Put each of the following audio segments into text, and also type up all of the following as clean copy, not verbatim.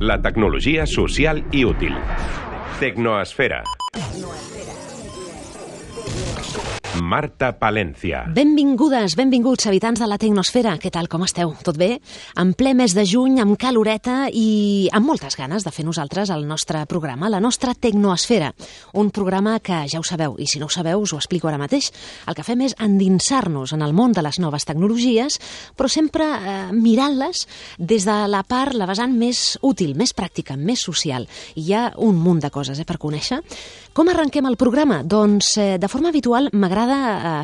La tecnologia social i útil. Tecnoesfera. Marta Palencia. Benvingudes, benvinguts, habitants de la Tecnosfera. Què tal, com esteu? Tot bé? En ple mes de juny, amb caloreta i amb moltes ganes de fer nosaltres el nostre programa, la nostra Tecnoesfera. Un programa que ja ho sabeu, i si no ho sabeu us ho explico ara mateix. El que fem és endinsar-nos en el món de les noves tecnologies, però sempre mirant-les des de la part, la vessant més útil, més pràctica, més social. I hi ha un munt de coses per conèixer. Com arrenquem el programa? Doncs de forma habitual m'agrada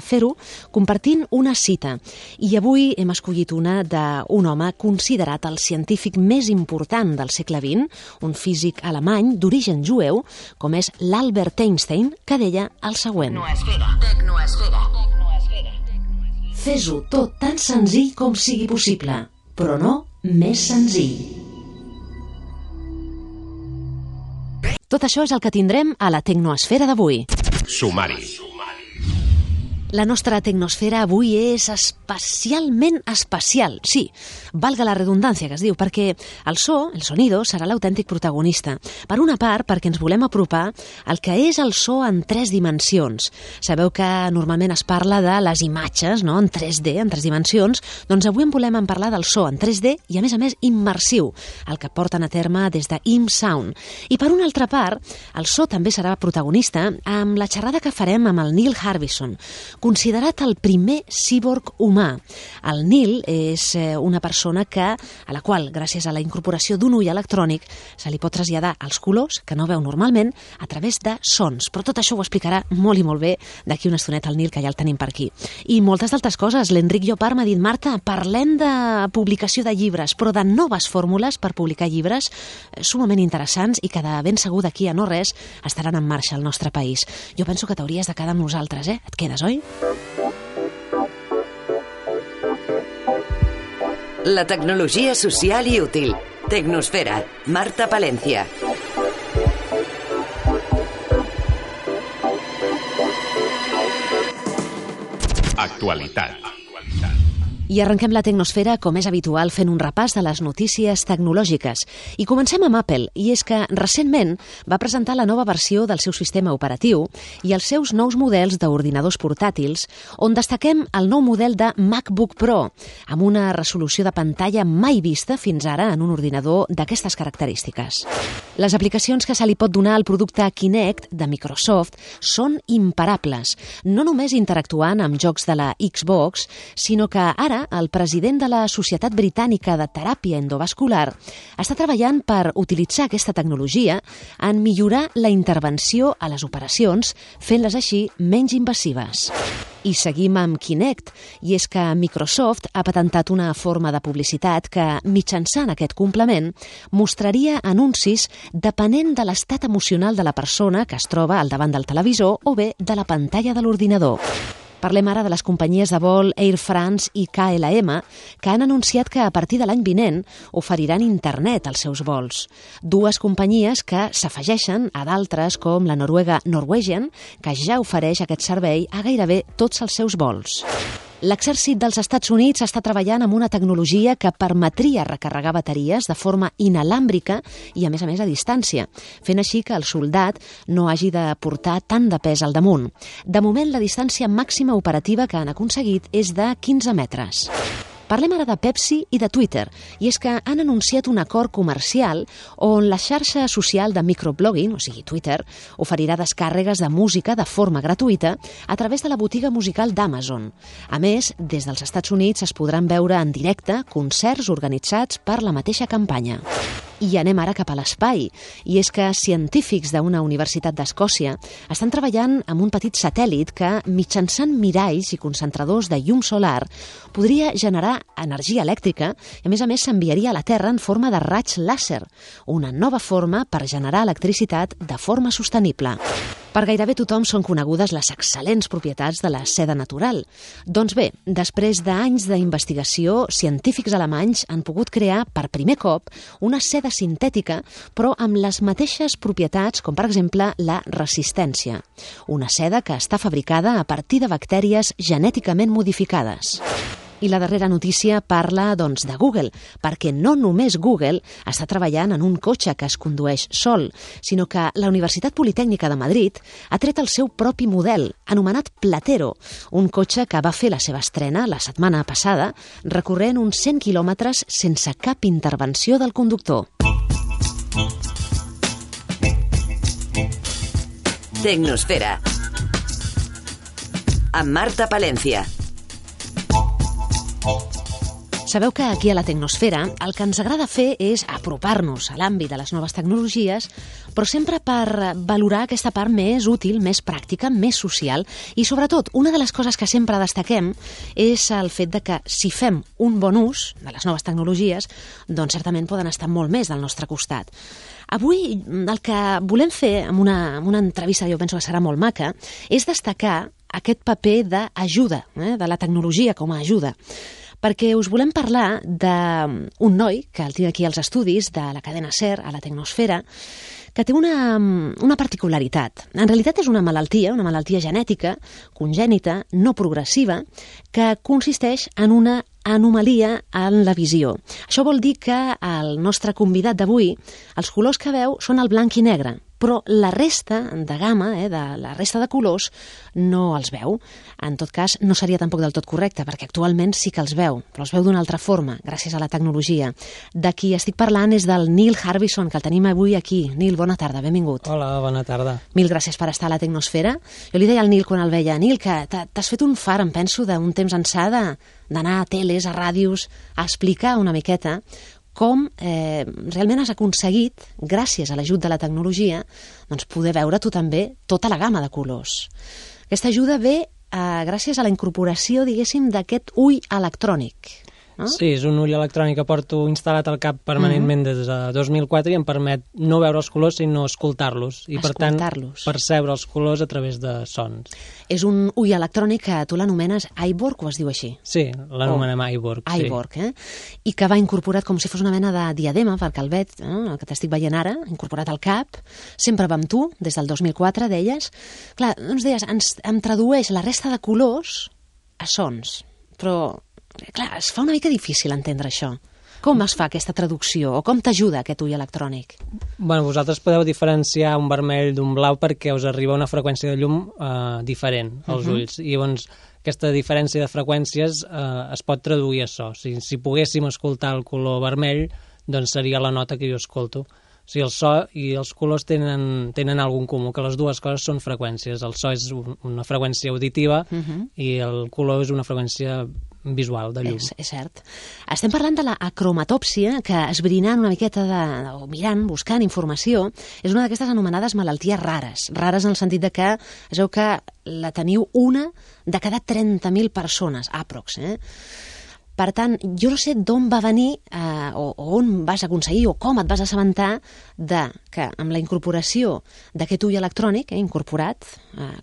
fer-ho compartint una cita. I avui hem escollit una d'un home considerat el científic més important del segle XX, un físic alemany d'origen jueu, com és l'Albert Einstein, que deia el següent. Tecnoesfera. Fes-ho tot tan senzill com sigui possible, però no més senzill. Tot això és el que tindrem a la Tecnoesfera d'avui. Sumari. La nostra tecnosfera avui és especialment especial. Sí, valga la redundància que es diu, perquè el sonido, serà l'autèntic protagonista. Per una part, perquè ens volem apropar al que és el so en 3 dimensions. Sabeu que normalment es parla de les imatges, no?, en 3D, en 3 dimensions. Doncs avui en volem parlar del so en 3D i, a més, immersiu, el que porten a terme des de ImSound. I per una altra part, el so també serà protagonista amb la xerrada que farem amb el Neil Harbisson, considerat el primer cíborg humà. El Neil és una persona a la qual, gràcies a la incorporació d'un ull electrònic, se li pot traslladar els colors, que no veu normalment, a través de sons. Però tot això ho explicarà molt i molt bé d'aquí una estoneta el Neil, que ja el tenim per aquí. I moltes d'altres coses. L'Enric Llopart m'ha dit: Marta, parlem de publicació de llibres, però de noves fórmules per publicar llibres sumament interessants i que de ben segur d'aquí a no res estaran en marxa al nostre país. Jo penso que t'hauries de quedar amb nosaltres, eh? Et quedes, oi? La tecnologia social i útil. Tecnosfera. Marta Palencia. Actualitat. I arrenquem la Tecnosfera, com és habitual, fent un repàs de les notícies tecnològiques. I comencem amb Apple, i és que recentment va presentar la nova versió del seu sistema operatiu i els seus nous models d'ordinadors portàtils, on destaquem el nou model de MacBook Pro, amb una resolució de pantalla mai vista fins ara en un ordinador d'aquestes característiques. Les aplicacions que se li pot donar al producte Kinect de Microsoft són imparables, no només interactuant amb jocs de la Xbox, sinó que ara el president de la Societat Britànica de Teràpia Endovascular està treballant per utilitzar aquesta tecnologia en millorar la intervenció a les operacions, fent-les així menys invasives. I seguim amb Kinect, i és que Microsoft ha patentat una forma de publicitat que, mitjançant aquest complement, mostraria anuncis depenent de l'estat emocional de la persona que es troba al davant del televisor o bé de la pantalla de l'ordinador. Parlem ara de les companyies de vol Air France i KLM, que han anunciat que a partir de l'any vinent oferiran internet als seus vols. Dues companyies que s'afegeixen a d'altres com la noruega Norwegian, que ja ofereix aquest servei a gairebé tots els seus vols. L'exèrcit dels Estats Units està treballant amb una tecnologia que permetria recarregar bateries de forma inalàmbrica i, a més, a distància, fent així que el soldat no hagi de portar tant de pes al damunt. De moment, la distància màxima operativa que han aconseguit és de 15 metres. Parlem ara de Pepsi i de Twitter, i és que han anunciat un acord comercial on la xarxa social de microblogging, o sigui Twitter, oferirà descàrregues de música de forma gratuïta a través de la botiga musical d'Amazon. A més, des dels Estats Units es podran veure en directe concerts organitzats per la mateixa campanya. I anem ara cap a l'espai, i és que científics d'una universitat d'Escòcia estan treballant amb un petit satèl·lit que, mitjançant miralls i concentradors de llum solar, podria generar energia elèctrica i, a més, s'enviaria a la Terra en forma de raig làser, una nova forma per generar electricitat de forma sostenible. Per gairebé tothom són conegudes les excel·lents propietats de la seda natural. Doncs bé, després d'anys d'investigació, científics alemanys han pogut crear per primer cop una seda sintètica, però amb les mateixes propietats com, per exemple, la resistència. Una seda que està fabricada a partir de bactèries genèticament modificades. I la darrera notícia parla, doncs, de Google, perquè no només Google està treballant en un cotxe que es condueix sol, sinó que la Universitat Politècnica de Madrid ha tret el seu propi model, anomenat Platero, un cotxe que va fer la seva estrena la setmana passada, recorrent uns 100 quilòmetres sense cap intervenció del conductor. Tecnosfera. Amb Marta Palencia. Sabeu que aquí a la Tecnosfera el que ens agrada fer és apropar-nos a l'àmbit de les noves tecnologies, però sempre per valorar aquesta part més útil, més pràctica, més social, i sobretot una de les coses que sempre destaquem és el fet de que si fem un bon ús de les noves tecnologies, doncs certament poden estar molt més del nostre costat. Avui el que volem fer amb una entrevista, jo penso que serà molt maca, és destacar aquest paper d'ajuda, de la tecnologia com a ajuda. Perquè us volem parlar d'un noi, que el tinc aquí als estudis de la cadena SER, a la Tecnosfera, que té una particularitat. En realitat és una malaltia genètica, congènita, no progressiva, que consisteix en una anomalia en la visió. Això vol dir que el nostre convidat d'avui, els colors que veu són el blanc i negre, però la resta de gamma, de la resta de colors, no els veu. En tot cas, no seria tampoc del tot correcte, perquè actualment sí que els veu, però els veu d'una altra forma, gràcies a la tecnologia. De qui estic parlant és del Neil Harbison, que el tenim avui aquí. Neil, bona tarda, benvingut. Hola, bona tarda. Mil gràcies per estar a la Tecnosfera. Jo li deia al Neil quan el veia, Neil, que t'has fet un far, em penso, d'un temps ençà d'anar a teles, a ràdios, a explicar una miqueta com realment has aconseguit, gràcies a l'ajut de la tecnologia, doncs poder veure tu també tota la gamma de colors. Aquesta ajuda ve gràcies a la incorporació, diguéssim, d'aquest ull electrònic. No? Sí, és un ull electrònic que porto instal·lat al cap permanentment des de 2004 i em permet no veure els colors sinó escoltar-los i per tant percebre els colors a través de sons. És un ull electrònic que tu l'anomenes iBorg o es diu així? Sí, l'anomenem iBorg. iBorg, I que va incorporat com si fos una mena de diadema pel calvet, el que t'estic veient ara, incorporat al cap, sempre va amb tu, des del 2004, deies. Clar, doncs deies, em tradueix la resta de colors a sons, però clar, es fa una mica difícil entendre això. Com es fa aquesta traducció o com t'ajuda aquest ull electrònic? Bueno, vosaltres podeu diferenciar un vermell d'un blau perquè us arriba una freqüència de llum diferent als ulls. I llavors aquesta diferència de freqüències es pot traduir a so. Si poguéssim escoltar el color vermell, doncs seria la nota que jo escolto. O sigui, el so i els colors tenen algun comú, que les dues coses són freqüències. El so és una freqüència auditiva i el color és una freqüència visual, de llum. És cert. Estem parlant de la acromatòpsia, que esbrinant una miqueta o mirant, buscant informació, és una d'aquestes anomenades malalties rares. Rares en el sentit de que es veu que la teniu una de cada 30.000 persones, aprox. Per tant, jo no sé d'on va venir o on vas aconseguir o com et vas assabentar que amb la incorporació d'aquest ull electrònic, incorporat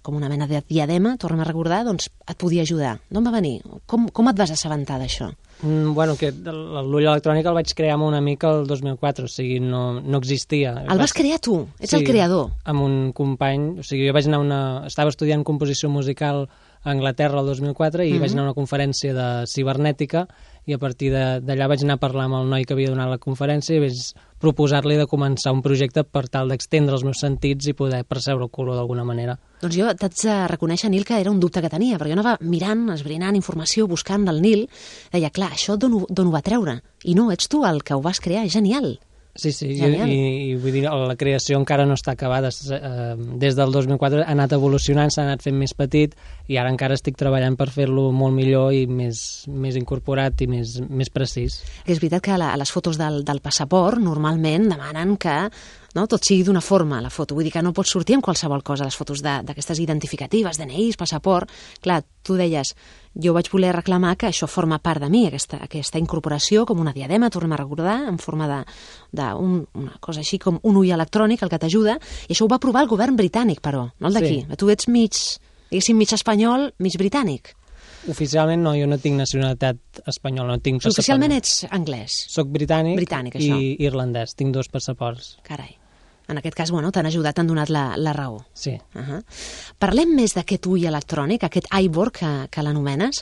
com una mena de diadema, tornem a recordar, doncs et podia ajudar. D'on va venir? Com et vas assabentar d'això? Bueno, que l'ull electrònic el vaig crear amb un amic el 2004, o sigui, no existia. El vas crear tu? Ets el creador? Amb un company, o sigui, jo vaig anar estava estudiant composició musical a Anglaterra el 2004 i vaig anar a una conferència de cibernètica i a partir d'allà vaig anar a parlar amb el noi que havia donat la conferència i vaig proposar-li de començar un projecte per tal d'extendre els meus sentits i poder percebre el color d'alguna manera. Doncs jo t'haig de reconèixer, Nil, que era un dubte que tenia, perquè jo anava mirant, esbrinant informació, buscant del Nil, deia, clar, això d'on ho va treure? I no, ets tu el que ho vas crear, és genial. Sí, i vull dir, la creació encara no està acabada. Des del 2004 ha anat evolucionant, s'ha anat fent més petit i ara encara estic treballant per fer-lo molt millor i més incorporat i més precís. És veritat que a les fotos del passaport normalment demanen que tot sigui d'una forma, la foto. Vull dir que no pots sortir amb qualsevol cosa, les fotos d'aquestes identificatives, DNIs, passaport. Clar, tu deies, jo vaig voler reclamar que això forma part de mi, aquesta incorporació com una diadema, tornem a recordar, en forma d'una cosa així com un ull electrònic, el que t'ajuda, i això ho va aprovar el govern britànic, però, no el d'aquí. Sí. Tu ets mig espanyol, mig britànic. Oficialment no, jo no tinc nacionalitat espanyola, no tinc passaport. Oficialment ets anglès. Soc britànic això. I irlandès, tinc 2 passaports. Carai. En aquest cas, t'han ajudat, t'han donat la raó. Sí. Parlem més d'aquest ull electrònic, aquest iBorg que l'anomenes.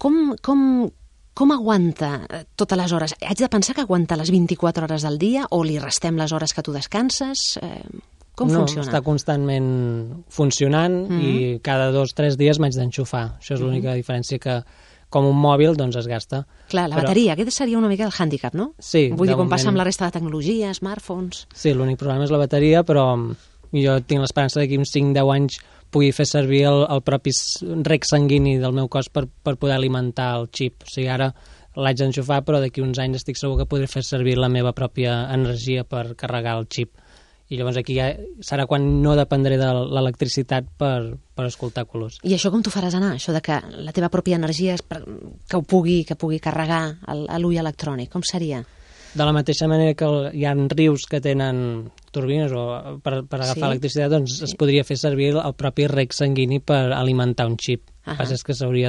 Com aguanta totes les hores? Haig de pensar que aguanta les 24 hores del dia o li restem les hores que tu descanses? Com funciona? No, està constantment funcionant i cada 2 o 3 dies m'haig d'enxufar. Això és l'única diferència, que com un mòbil doncs es gasta. Clar, la bateria, aquest seria una mica el hàndicap, no? Sí. Vull dir, com passa amb la resta de tecnologia, smartphones... Sí, l'únic problema és la bateria, però jo tinc l'esperança d'aquí uns 5-10 anys pugui fer servir el propi rec sanguini del meu cos per poder alimentar el xip. O sigui, ara l'haig d'enxufar, però d'aquí uns anys estic segur que podré fer servir la meva pròpia energia per carregar el xip. I llavors aquí ja serà quan no dependré de l'electricitat per escoltar colors. I això com t'ho faràs anar? Això de que la teva pròpia energia que pugui carregar l'ull electrònic, com seria? De la mateixa manera que hi ha rius que tenen turbines per agafar electricitat, doncs es podria fer servir el propi rec sanguini per alimentar un xip. El que passa és que s'hauria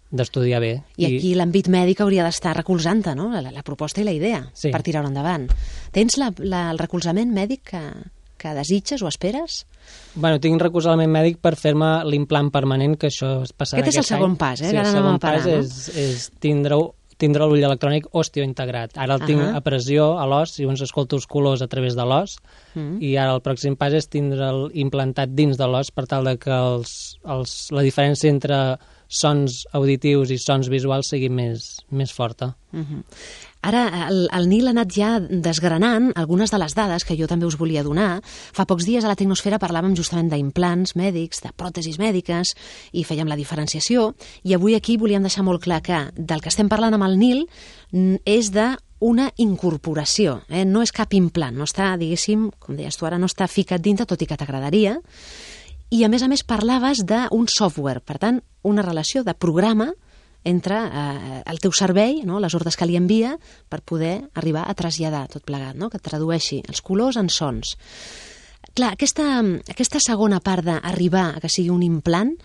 d'estudiar bé. I aquí l'àmbit mèdic hauria d'estar recolzant-te, no? La proposta i la idea per tirar-ho endavant. Tens el recolzament mèdic que desitges o esperes? Bueno, tinc recolzament mèdic per fer-me l'implant permanent, que això es passarà aquest any. Aquest és el segon pas, Sí, el segon pas és tindre l'ull electrònic osteointegrat. Ara el tinc a pressió a l'os, i llavors escolto els colors a través de l'os, i ara el pròxim pas és tindre'l implantat dins de l'os per tal de que la diferència entre sons auditius i sons visuals sigui més forta. Ara, el Nil ha anat ja desgranant algunes de les dades que jo també us volia donar. Fa pocs dies a la Tecnosfera parlàvem justament d'implants mèdics, de pròtesis mèdiques, i fèiem la diferenciació, i avui aquí volíem deixar molt clar que del que estem parlant amb el Nil és d'una incorporació, no és cap implant, no està, diguéssim, com deies tu ara, no està ficat dintre, tot i que t'agradaria, i a més parlaves d'un software, per tant, una relació de programa entre el teu cervell, no? Les ordres que li envia, per poder arribar a traslladar tot plegat, no? Que tradueixi els colors en sons. Clar, aquesta segona part d'arribar a que sigui un implant,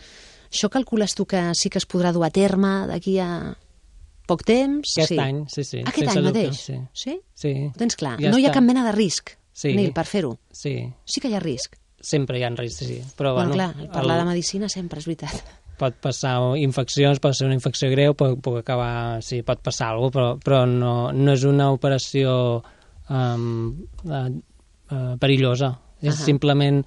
això calcules tu que sí que es podrà dur a terme d'aquí a poc temps? Aquest any, sí. Aquest any mateix? Sí. Ho tens clar? Ja no hi ha cap mena de risc, Nil, per fer-ho? Sí que hi ha risc? Sempre hi ha risc, sí. Però, bueno, clar, parlar de medicina sempre, és veritat. Pot passar infeccions, pot ser una infecció greu, pot acabar... Sí, pot passar alguna cosa, però no és una operació perillosa. És simplement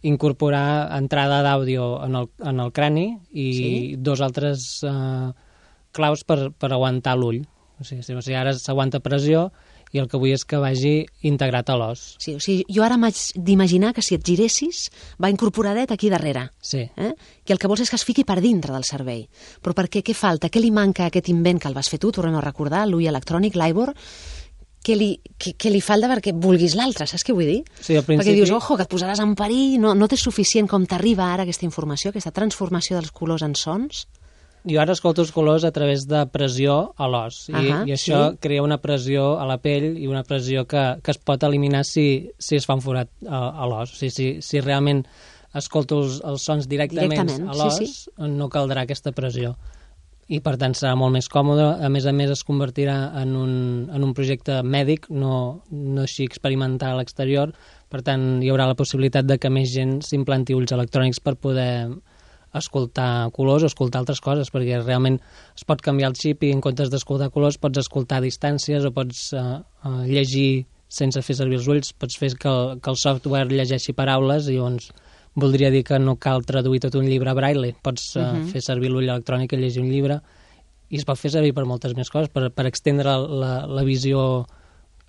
incorporar entrada d'àudio en el crani i dos altres claus per aguantar l'ull. O sigui, ara s'aguanta pressió i el que vull és que vagi integrat a l'os. Sí, o sigui, jo ara m'haig d'imaginar que si et giressis va incorporadet aquí darrere. Sí. Que el que vols és que es fiqui per dintre del cervell. Però per què? Què falta? Què li manca a aquest invent que el vas fer tu? Tornem a recordar, l'ull electrònic, l'Ivor. Què li falta perquè vulguis l'altre, saps què vull dir? Sí, al principi... Perquè dius, ojo, que et posaràs en perill, no t'és suficient com t'arriba ara aquesta informació, aquesta transformació dels colors en sons? Jo ara escolto els colors a través de pressió a l'os, i això crea una pressió a la pell i una pressió que es pot eliminar si es fa un forat a l'os. O sigui, si realment escolto els sons directament a l'os, no caldrà aquesta pressió. I per tant serà molt més còmode. A més es convertirà en un projecte mèdic, no així experimentar a l'exterior. Per tant, hi haurà la possibilitat de que més gent s'implanti ulls electrònics per poder escoltar colors o escoltar altres coses, perquè realment es pot canviar el xip i en comptes d'escoltar colors pots escoltar a distàncies o pots llegir sense fer servir els ulls, pots fer que el software llegeixi paraules i llavors voldria dir que no cal traduir tot un llibre a braille, pots fer servir l'ull electrònic i llegir un llibre, i es pot fer servir per moltes més coses, per extendre la visió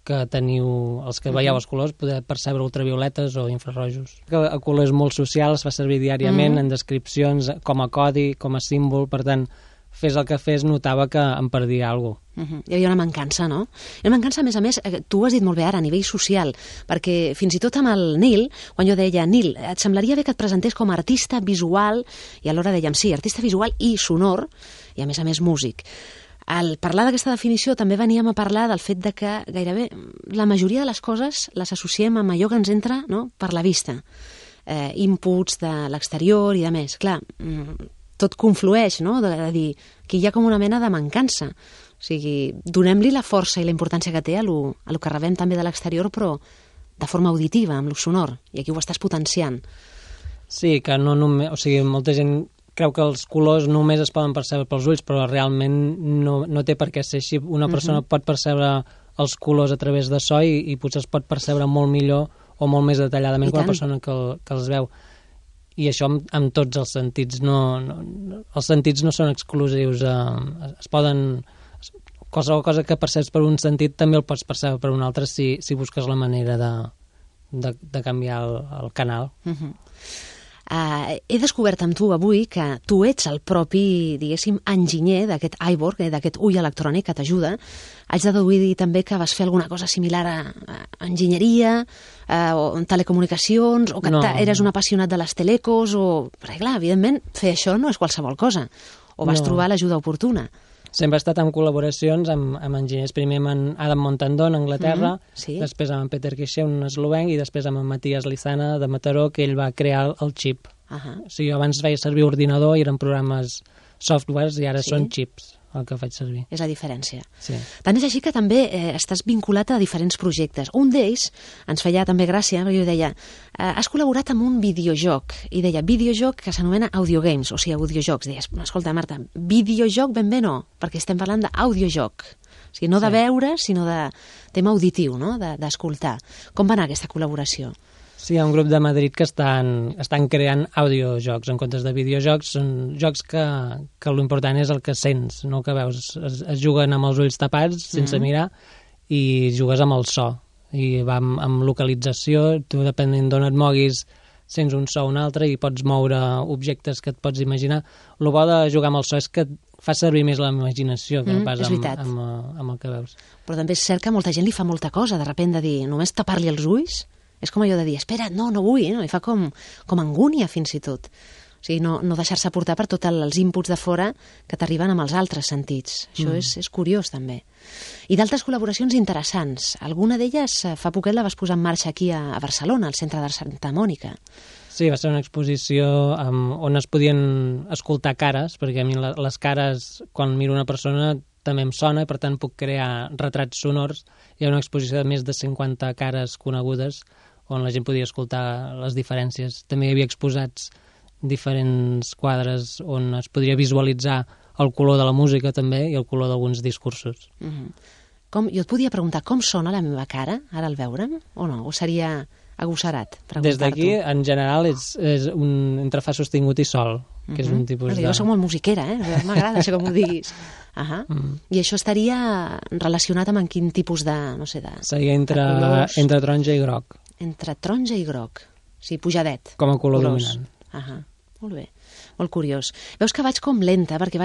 que teniu, els que veieu els colors, poder percebre ultravioletes o infrarrojos. El color és molt social, es fa servir diàriament en descripcions, com a codi, com a símbol, per tant, fes el que fes, notava que em perdia alguna cosa. Hi havia una mancança, no? Una mancança, a més, tu ho has dit molt bé ara, a nivell social, perquè fins i tot amb el Nil, quan jo deia, Nil, et semblaria bé que et presentés com a artista visual, i alhora dèiem, sí, artista visual i sonor, i a més músic. Al parlar d'aquesta definició també veníem a parlar del fet de que gairebé la majoria de les coses les associem amb allò que ens entra, no?, per la vista. Inputs de l'exterior i de més. Clar, tot conflueix, no?, de dir que hi ha com una mena de mancança. O sigui, donem-li la força i la importància que té a lo que rebem també de l'exterior, però de forma auditiva, amb lo sonor, i aquí ho estàs potenciant. Sí, que no només... O sigui, molta gent creu que els colors només es poden percebre pels ulls, però realment no té per què ser així. Una persona pot percebre els colors a través de so i potser es pot percebre molt millor o molt més detalladament que una persona que els veu. I això amb tots els sentits. Els sentits no són exclusius. Es poden... Qualsevol cosa que perceps per un sentit també el pots percebre per un altre si busques la manera de canviar el canal. He descobert amb tu avui que tu ets el propi, diguéssim, enginyer d'aquest iBoard, d'aquest ull electrònic que t'ajuda. Haig de deduir també que vas fer alguna cosa similar a enginyeria, o telecomunicacions, o que eres un apassionat de les telecos, perquè clar, evidentment, fer això no és qualsevol cosa. O vas trobar l'ajuda oportuna. Sempre he estat en col·laboracions amb enginyers, primer amb Adam Montandon, a Anglaterra, després amb Peter Quixé, un eslovenc, i després amb Matías Lizana, de Mataró, que ell va crear el xip. O sigui, abans feia servir ordinador i eren programes softwares, i ara són xips el que faig servir. És la diferència. Sí. Tant és així que també estàs vinculat a diferents projectes. Un d'ells ens feia també gràcia, perquè jo deia, has col·laborat amb un videojoc, i deia, videojoc que s'anomena Audiogames, o sigui, audiojocs. Deies, escolta, Marta, videojoc ben bé no, perquè estem parlant d'audiojoc. O sigui, no de veure, sinó de tema auditiu, no? D'escoltar. Com va anar aquesta col·laboració? Sí, hi ha un grup de Madrid que estan creant audiojocs en comptes de videojocs. Són jocs que l'important és el que sents, no el que veus. Es juguen amb els ulls tapats, sense mirar, i jugues amb el so. I va amb localització, tu depenent d'on et moguis, sents un so o un altre i pots moure objectes que et pots imaginar. El bo de jugar amb el so és que fa servir més la imaginació que no pas amb el que veus. Però també és cert que molta gent li fa molta cosa, de sobte de dir, només tapar-li els ulls. És com allò de dir, espera, no vull, no? I fa com angúnia fins i tot. O sigui, no deixar-se portar per tots els inputs de fora que t'arriben amb els altres sentits. Això és curiós, també. I d'altres col·laboracions interessants. Alguna d'elles fa poquet la vas posar en marxa aquí a Barcelona, al Centre d'Art Santa Mònica. Sí, va ser una exposició on es podien escoltar cares, perquè a mi les cares, quan miro una persona, també em sona, i per tant puc crear retrats sonors. Hi ha una exposició de més de 50 cares conegudes on la gent podia escoltar les diferències. També hi havia exposats diferents quadres on es podria visualitzar el color de la música també i el color d'alguns discursos. Jo et podia preguntar com sona la meva cara ara al veure'm o no? O seria agosserat preguntar-t'ho? Des d'aquí, en general, és un entre fa sostingut i sol, que és un tipus de... Jo soc molt musiquera, m'agrada això com ho diguis. I això estaria relacionat amb quin tipus de, no sé, de... Seria entre taronja i groc. Entre taronja i groc. O sigui, pujadet. Com a color dominant. Molt bé. Molt curiós. Veus que vaig com lenta, perquè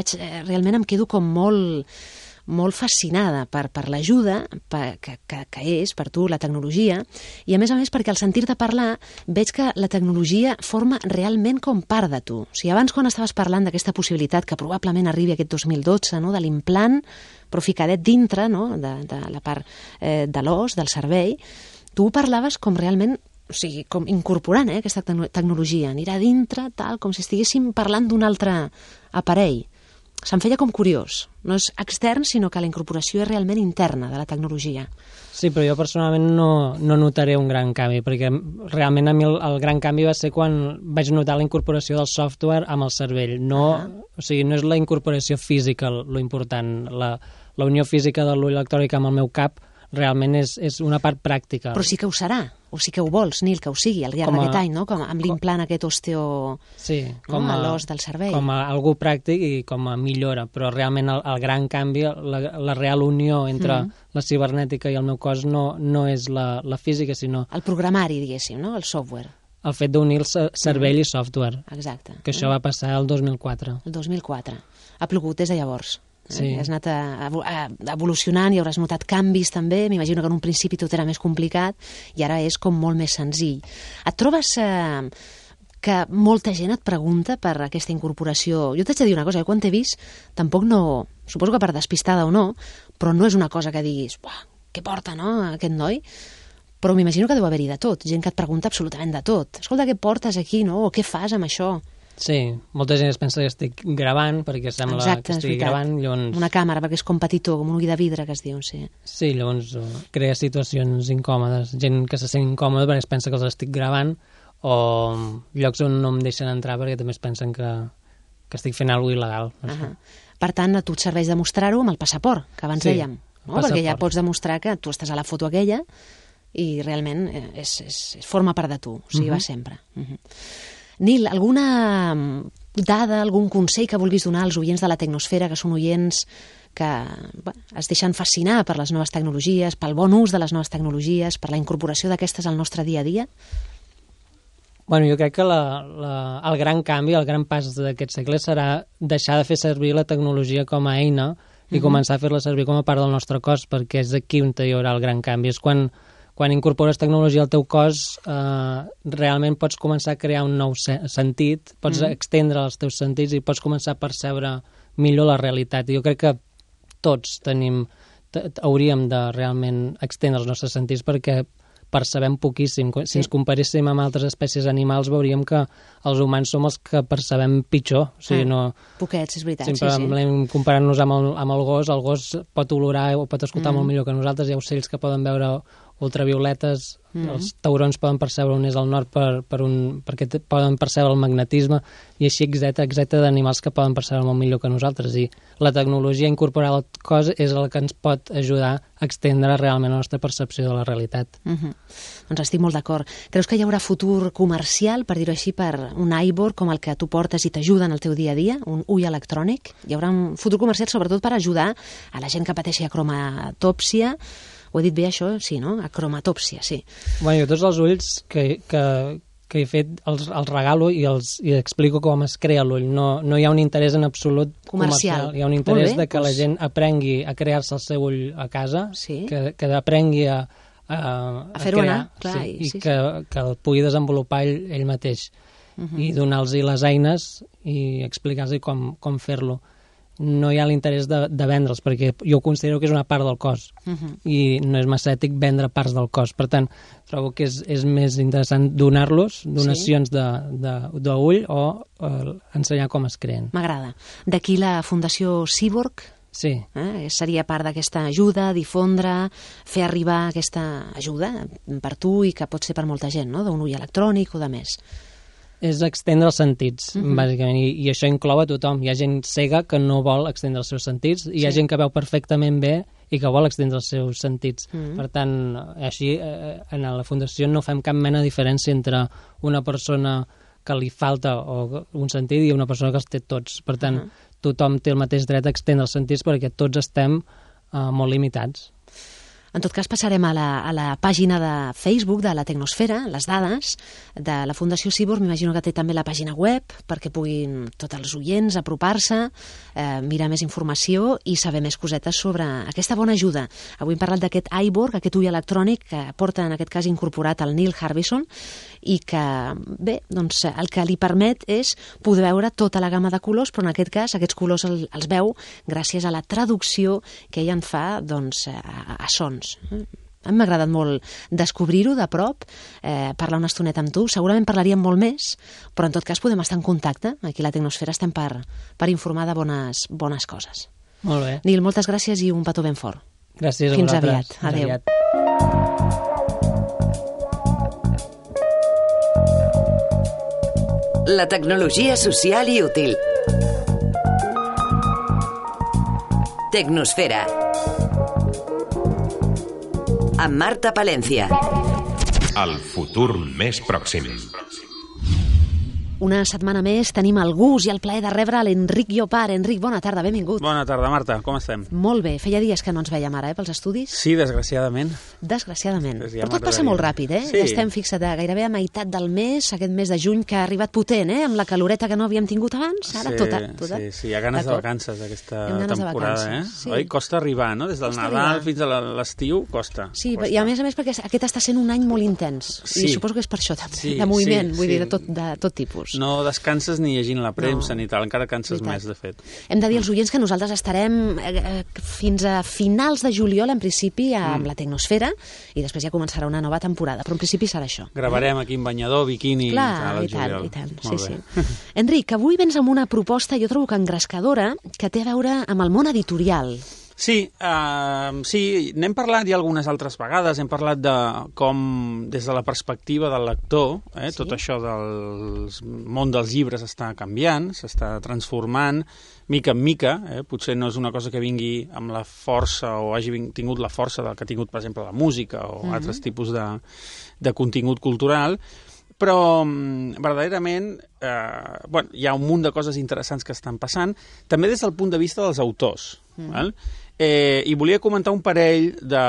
realment em quedo com molt fascinada per l'ajuda que és per tu la tecnologia, i a més perquè al sentir-te parlar veig que la tecnologia forma realment com part de tu. O sigui, abans quan estaves parlant d'aquesta possibilitat que probablement arribi aquest 2012, no, de l'implant, però ficadet dintre, no, de la part de l'os, del cervell, tu parlaves com realment, o sigui, com incorporant aquesta tecnologia, anirà dintre, tal, com si estiguéssim parlant d'un altre aparell. Se'm feia com curiós. No és extern, sinó que la incorporació és realment interna de la tecnologia. Sí, però jo personalment no notaré un gran canvi, perquè realment a mi el gran canvi va ser quan vaig notar la incorporació del software amb el cervell. O sigui, no és la incorporació física lo important. La unió física de l'ull electrònic amb el meu cap realment és una part pràctica. Però sí que ho serà, o sí que ho vols, Nil, que ho sigui al llarg d'aquest any, no? Com amb l'implant aquest osteo... Sí, com a l'os del cervell. Com a algú pràctic i com a millora, però realment el gran canvi, la real unió entre la cibernètica i el meu cos no és la física, sinó... El programari, diguéssim, no? El software. El fet d'unir cervell i software. Exacte. Que això va passar el 2004. El 2004. Ha plogut des de llavors. Sí. Has anat evolucionant i hauràs notat canvis també. M'imagino que en un principi tot era més complicat i ara és com molt més senzill. Et trobes que molta gent et pregunta per aquesta incorporació? Jo t'haig de dir una cosa, quan t'he vist tampoc no... Suposo que per despistada o no, però no és una cosa que diguis què porta, no, aquest noi? Però m'imagino que deu haver-hi de tot, gent que et pregunta absolutament de tot. Escolta, què portes aquí, no? O què fas amb això? Sí, molta gent es pensa que estic gravant perquè sembla que estigui gravant. Llavors... Una càmera, perquè és com petitó, com un ull de vidre, que es diu, sí. Sí, llavors crea situacions incòmodes. Gent que se sent incòmoda perquè es pensa que els estic gravant, o llocs on no em deixen entrar perquè també es pensen que estic fent alguna cosa il·legal. Per tant, a tu et serveix demostrar-ho amb el passaport, que abans dèiem, no? Perquè ja pots demostrar que tu estàs a la foto aquella i realment forma part de tu, o sigui, va sempre. Nil, alguna dada, algun consell que vulguis donar als oients de la Tecnosfera, que són oients que es deixen fascinar per les noves tecnologies, pel bon ús de les noves tecnologies, per la incorporació d'aquestes al nostre dia a dia? Bueno, jo crec que el gran canvi, el gran pas d'aquest segle serà deixar de fer servir la tecnologia com a eina i començar a fer-la servir com a part del nostre cos, perquè és aquí on hi haurà el gran canvi. És quan incorpores tecnologia al teu cos, realment pots començar a crear un nou sentit, pots extendre els teus sentits i pots començar a percebre millor la realitat. I jo crec que tots hauríem de realment extendre els nostres sentits perquè percebem poquíssim. Si ens comparéssim amb altres espècies animals, veuríem que els humans som els que percebem pitjor. O sigui, poquets, és veritat. Sempre comparant-nos amb el gos pot olorar o pot escoltar molt millor que nosaltres. Hi ha ocells que poden veure ultravioletes, els taurons poden percebre on és el nord perquè poden percebre el magnetisme i així exacte d'animals que poden percebre molt millor que nosaltres, i la tecnologia incorporada al cos és el que ens pot ajudar a extendre realment la nostra percepció de la realitat. Doncs estic molt d'acord. Creus que hi haurà futur comercial, per dir-ho així, per un iBoard com el que tu portes i t'ajuda en el teu dia a dia, un ull electrònic? Hi haurà un futur comercial sobretot per ajudar a la gent que pateixi acromatòpsia. Ho he dit bé, això? Sí, no? Acromatòpsia, sí. Bueno, jo tots els ulls que he fet els regalo i explico com es crea l'ull. No hi ha un interès en absolut comercial. Hi ha un interès de que la gent aprengui a crear-se el seu ull a casa, que aprengui a fer-ho anar, clar, i que el pugui desenvolupar ell mateix. I donar-los les eines i explicar-los com fer-lo. No hi ha l'interès de vendre'ls, perquè jo considero que és una part del cos i no és massa ètic vendre parts del cos. Per tant, trobo que és més interessant donar-los, donacions d'ull o ensenyar com es creen. M'agrada. D'aquí la Fundació Cyborg? Sí. Seria part d'aquesta ajuda, difondre, fer arribar aquesta ajuda per tu i que pot ser per molta gent, no? D'un ull electrònic o de més. És extendre els sentits, bàsicament, i això inclou a tothom. Hi ha gent cega que no vol extendre els seus sentits, i hi ha gent que veu perfectament bé i que vol extendre els seus sentits. Per tant, així, en la Fundació no fem cap mena de diferència entre una persona que li falta un sentit i una persona que els té tots. Per tant, tothom té el mateix dret a extendre els sentits perquè tots estem molt limitats. En tot cas, passarem a la pàgina de Facebook de la Tecnosfera, les dades de la Fundació Cyborg. M'imagino que té també la pàgina web perquè puguin tots els oients apropar-se, mirar més informació i saber més cosetes sobre aquesta bona ajuda. Avui hem parlat d'aquest iBoard, aquest ull electrònic que porta en aquest cas incorporat el Neil Harbisson i que, bé, doncs el que li permet és poder veure tota la gamma de colors, però en aquest cas aquests colors els veu gràcies a la traducció que ell en fa doncs, a sons. A mi m'ha agradat molt descobrir-ho de prop, parlar una estoneta amb tu. Segurament parlaríem molt més, però en tot cas podem estar en contacte. Aquí a la Tecnosfera estem per informar de bones coses. Molt bé. Nil, moltes gràcies i un petó ben fort. Gràcies a Fins vosaltres. aviat. Adéu. La tecnologia social i útil. Tecnosfera. Amb Marta Palencia. El futur més pròxim. Una setmana més tenim el gust i el plaer de rebre l'Enric Llopart. Enric, bona tarda, benvingut. Bona tarda, Marta, com estem? Molt bé, feia dies que no ens veiem ara, pels estudis. Sí, desgraciadament. Desgraciadament. Ja però tot passa molt ràpid, Sí. Ja estem fixat gairebé a meitat del mes, aquest mes de juny que ha arribat potent, amb la caloreta que no havíem tingut abans, ara tota. Sí, hi ha ganes de vacances aquesta temporada, Sí. Oi? Costa arribar, no? Des del Nadal fins a l'estiu, costa. Sí, i a més perquè aquest està sent un any molt intens, i suposo que és per això també, de moviment, vull dir, de tot tipus. No descanses ni llegint la premsa ni tal, encara canses més, de fet. Hem de dir als oients que nosaltres estarem fins a finals de juliol, en principi, amb la Tecnosfera, i després ja començarà una nova temporada, però en principi serà això. Gravarem aquí en banyador, biquini, al juliol. I tant, sí. Enric, avui vens amb una proposta, jo trobo que engrescadora, que té a veure amb el món editorial. Sí, n'hem parlat ja algunes altres vegades, hem parlat de com, des de la perspectiva del lector, tot això del món dels llibres està canviant, s'està transformant, mica en mica, potser no és una cosa que vingui amb la força o hagi tingut la força del que ha tingut, per exemple, la música o altres tipus de contingut cultural, però verdaderament hi ha un munt de coses interessants que estan passant, també des del punt de vista dels autors. I volia comentar un parell de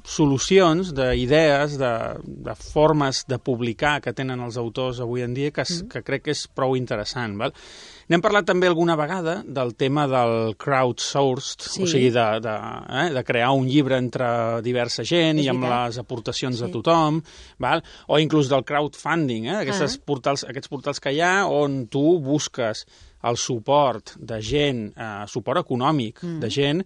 solucions, d'idees, de formes de publicar que tenen els autors avui en dia que crec que és prou interessant. N'hem parlat també alguna vegada del tema del crowdsourced, o sigui, de crear un llibre entre diversa gent i amb les aportacions de tothom, o inclús del crowdfunding, aquests portals que hi ha on tu busques el suport de gent, suport econòmic de gent,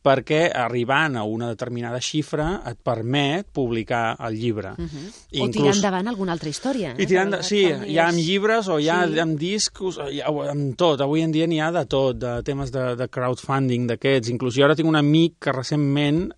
perquè arribant a una determinada xifra et permet publicar el llibre. O tirar endavant alguna altra història. Sí, hi ha amb llibres o hi ha amb discos, amb tot. Avui en dia n'hi ha de tot, de temes de crowdfunding d'aquests. Inclús jo ara tinc un amic que recentment,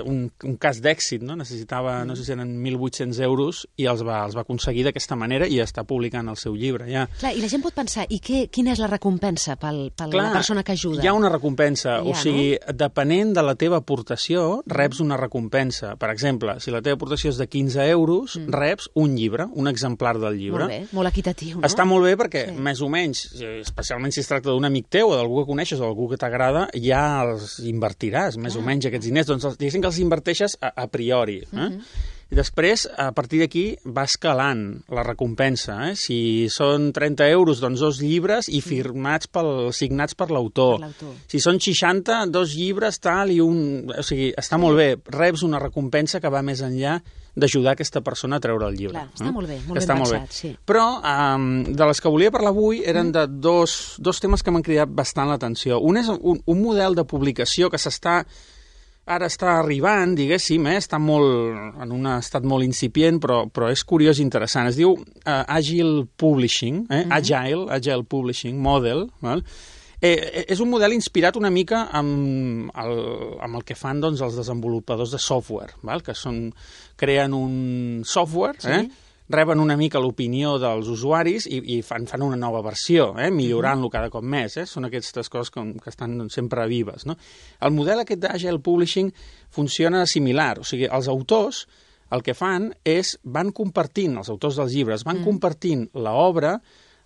un cas d'èxit, necessitava, no sé si eren 1.800 euros, i els va aconseguir d'aquesta manera i està publicant el seu llibre. Clar, i la gent pot pensar, i quina és la recompensa per la persona que ajuda? Hi ha una recompensa, o sigui, depenent de la teva aportació, reps una recompensa. Per exemple, si la teva aportació és de 15 euros, reps un llibre, un exemplar del llibre. Molt bé, molt equitatiu, no? Està molt bé perquè, més o menys, especialment si es tracta d'un amic teu o d'algú que coneixes o d'algú que t'agrada, ja els invertiràs, més o menys, aquests diners. Doncs diguéssim que els inverteixes a priori. I després, a partir d'aquí, va escalant la recompensa. Si són 30 euros, doncs 2 llibres i signats per l'autor. Si són 60, 2 llibres, tal, i un... O sigui, està molt bé. Reps una recompensa que va més enllà d'ajudar aquesta persona a treure el llibre. Clar, està molt bé, molt ben pensat, sí. Però de les que volia parlar avui eren de dos temes que m'han cridat bastant l'atenció. Un és un model de publicació que ara està arribant, diguéssim, està en un estat molt incipient, però és curiós i interessant. Es diu Agile Publishing, Agile Publishing Model. És un model inspirat una mica amb el que fan els desenvolupadors de software, que creen un software, reben una mica l'opinió dels usuaris i fan una nova versió, millorant-lo cada cop més. Són aquestes coses que estan sempre vives. El model aquest d'Agile Publishing funciona similar. O sigui, els autors el que fan és van compartint, els autors dels llibres, van compartint l'obra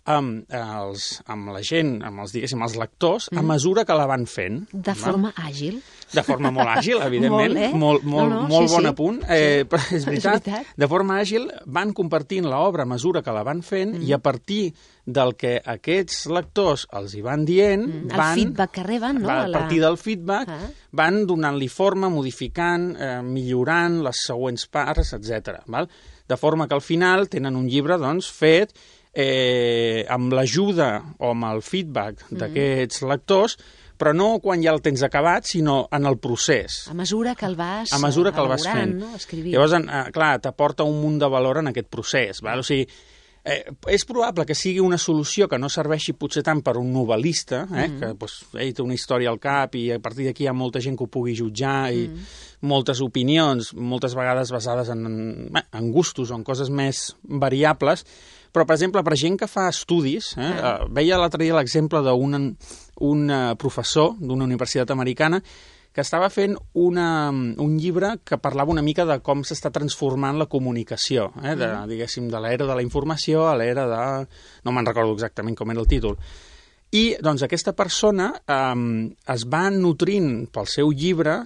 amb la gent, amb els lectors, a mesura que la van fent. De forma àgil. De forma molt àgil, evidentment. Molt bon apunt. Però és veritat. De forma àgil van compartint l'obra a mesura que la van fent i a partir del que aquests lectors els hi van dient... El feedback que reben, no? A partir del feedback van donant-li forma, modificant, millorant les següents parts, etc. De forma que al final tenen un llibre fet amb l'ajuda o amb el feedback d'aquests lectors, però no quan ja el tens acabat, sinó en el procés. A mesura que el vas elaborant, no? Escrivint. Llavors, clar, t'aporta un munt de valor en aquest procés. O sigui, és probable que sigui una solució que no serveixi potser tant per un novel·lista, que ell té una història al cap i a partir d'aquí hi ha molta gent que ho pugui jutjar i moltes opinions, moltes vegades basades en gustos o en coses més variables, però, per exemple, per gent que fa estudis, veia l'altre dia l'exemple d'un professor d'una universitat americana que estava fent un llibre que parlava una mica de com s'està transformant la comunicació, diguéssim, de l'era de la informació a l'era de... No me'n recordo exactament com era el títol. I, doncs, aquesta persona es va nutrint pel seu llibre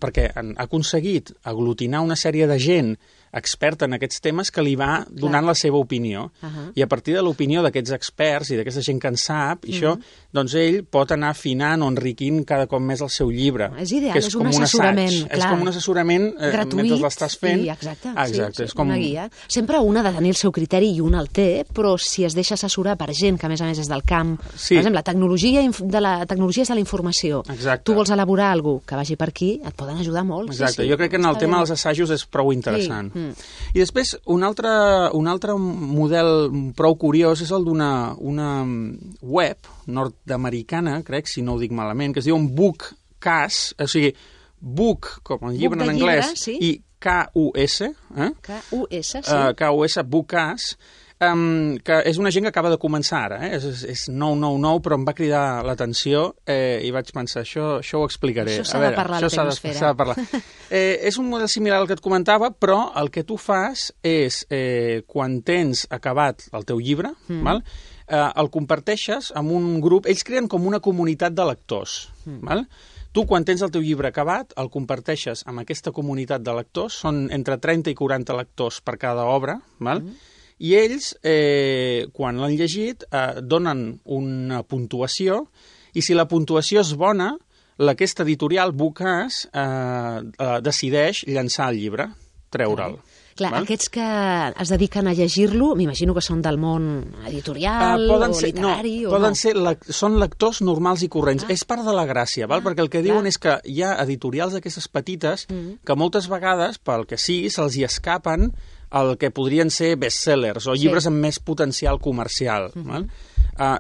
perquè ha aconseguit aglutinar una sèrie de gent experta en aquests temes que li va donant la seva opinió. I a partir de l'opinió d'aquests experts i d'aquesta gent que en sap, doncs ell pot anar afinant o enriquint cada cop més el seu llibre. És ideal, és un assessorament. És com un assessorament mentre l'estàs fent. Exacte, és com una guia. Sempre un ha de tenir el seu criteri i un el té, però si es deixa assessorar per gent que a més és del camp, per exemple, la tecnologia és de la informació. Tu vols elaborar alguna cosa que vagi per aquí, et poden ajudar molt. Exacte, jo crec que en el tema dels assajos és prou interessant. I després, un altre model prou curiós és el d'una web nord-americana, crec, si no ho dic malament, que es diu Book Bukas, o sigui, book, com el llibre Book en de llibre, anglès, sí. i K-U-S, K-U-S, sí. K-U-S, Bukas, que és una gent que acaba de començar ara, és nou, però em va cridar l'atenció i vaig pensar, això ho explicaré. Això s'ha de parlar a la Tecnosfera. S'ha de parlar. És un model similar al que et comentava, però el que tu fas és, quan tens acabat el teu llibre, val? El comparteixes amb un grup, ells creen com una comunitat de lectors, val? Tu, quan tens el teu llibre acabat, el comparteixes amb aquesta comunitat de lectors, són entre 30 i 40 lectors per cada obra, val? I ells, quan l'han llegit, donen una puntuació, i si la puntuació és bona, aquesta editorial, Bukas, decideix llançar el llibre, treure'l. Clar, val? Aquests que es dediquen a llegir-lo, m'imagino que són del món editorial o literari o no? Són lectors normals i corrents. És part de la gràcia, val? Perquè el que diuen és que hi ha editorials d'aquestes petites que moltes vegades, pel que sigui, se'ls hi escapen el que podrien ser bestsellers o llibres amb més potencial comercial. Val?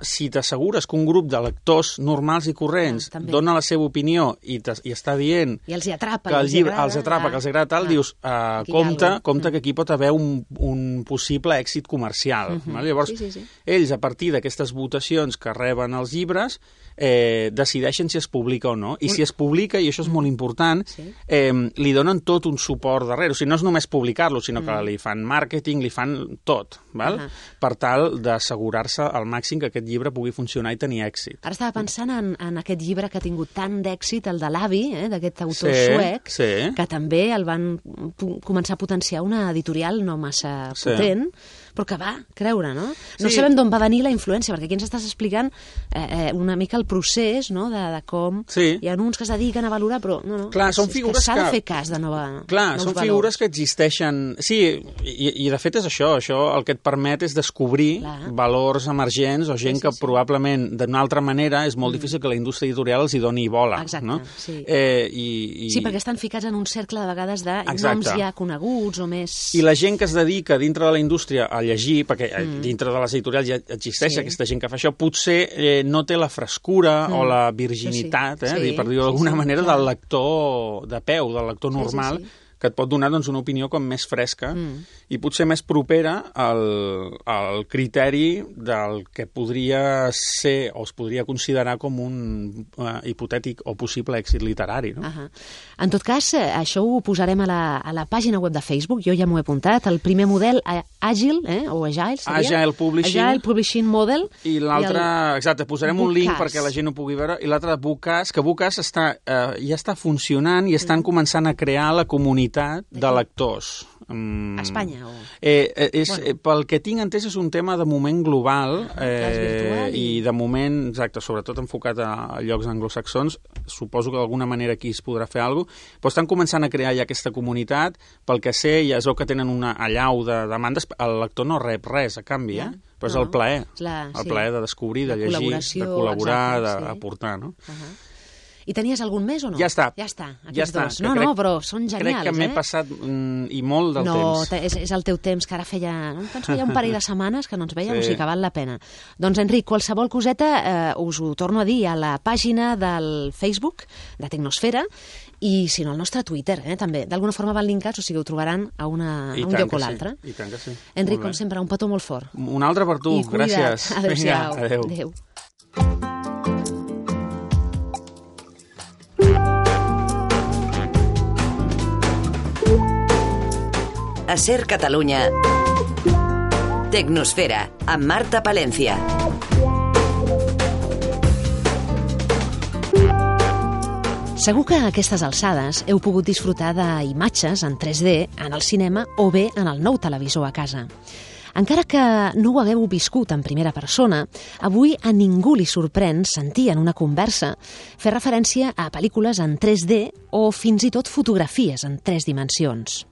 Si t'assegures que un grup de lectors normals i corrents dona la seva opinió i està dient i els hi atrapa, que el llibre els atrapa, que els agrada tal, dius, compte que aquí pot haver un possible èxit comercial. Llavors, ells, a partir d'aquestes votacions que reben els llibres, decideixen si es publica o no. I si es publica, i això és molt important, li donen tot un suport darrere. O sigui, no és només publicar-lo, sinó que li fan màrqueting, li fan tot, val? Per tal d'assegurar-se al màxim que aquest llibre pugui funcionar i tenir èxit. Ara estava pensant en aquest llibre que ha tingut tant d'èxit, el de l'Avi, d'aquest autor suec, que també el van començar a potenciar una editorial no massa potent, però que va creure, no? No sabem d'on va venir la influència, perquè aquí ens estàs explicant una mica el procés, no?, de com hi ha uns que es dediquen a valorar, però no, clar, són figures que s'ha de fer cas de nous valors. Clar, són figures que existeixen. Sí, i de fet és això el que et permet és descobrir valors emergents o gent que probablement d'una altra manera és molt difícil que la indústria editorial els hi doni bola. Exacte, no? sí. Sí, perquè estan ficats en un cercle de vegades de noms ja coneguts o més... I la gent que es dedica dintre de la indústria a llegir, perquè dintre de les editorials ja existeix aquesta gent que fa això, potser no té la frescura o la virginitat, per dir-ho d'alguna manera, del lector de peu, del lector normal, que et pot donar una opinió com més fresca i potser més propera al criteri del que podria ser o es podria considerar com un hipotètic o possible èxit literari. No? En tot cas, això ho posarem a la pàgina web de Facebook, jo ja m'ho he apuntat, el primer model Agile, o Agile, seria? Agile Publishing Model. I l'altre, exacte, posarem un link perquè la gent ho pugui veure, i l'altre Bukas, que Bukas ja està funcionant i estan començant a crear la comunitat de lectors. A Espanya? Pel que tinc entès és un tema de moment global i de moment, exacte, sobretot enfocat a llocs anglosaxons. Suposo que d'alguna manera aquí es podrà fer alguna cosa, però estan començant a crear ja aquesta comunitat. Pel que sé, ja es veu que tenen una allau de demandes. El lector no rep res a canvi, però és el plaer. El plaer de descobrir, de llegir, de col·laborar, d'aportar, no? I tenies algun més o no? Ja està. Aquests dos. No, però són genials, Crec que m'he passat i molt del temps. No, és el teu temps, que ara feia un parell de setmanes que no ens veiem, o sigui que val la pena. Doncs, Enric, qualsevol coseta us ho torno a dir a la pàgina del Facebook de Tecnosfera i, si no, al nostre Twitter, també. D'alguna forma van linkats, o sigui, ho trobaran a un lloc o l'altre. I tant que sí. Enric, com sempre, un petó molt fort. Un altre per tu, gràcies. Adéu-siau. Adéu. A Ser Catalunya, Tecnosfera, amb Marta Palencia. Segur que a aquestes alçades heu pogut disfrutar d'imatges en 3D en el cinema o bé en el nou televisor a casa. Encara que no ho hagueu viscut en primera persona, avui a ningú li sorprèn sentir en una conversa fer referència a pel·lícules en 3D o fins i tot fotografies en 3 dimensions.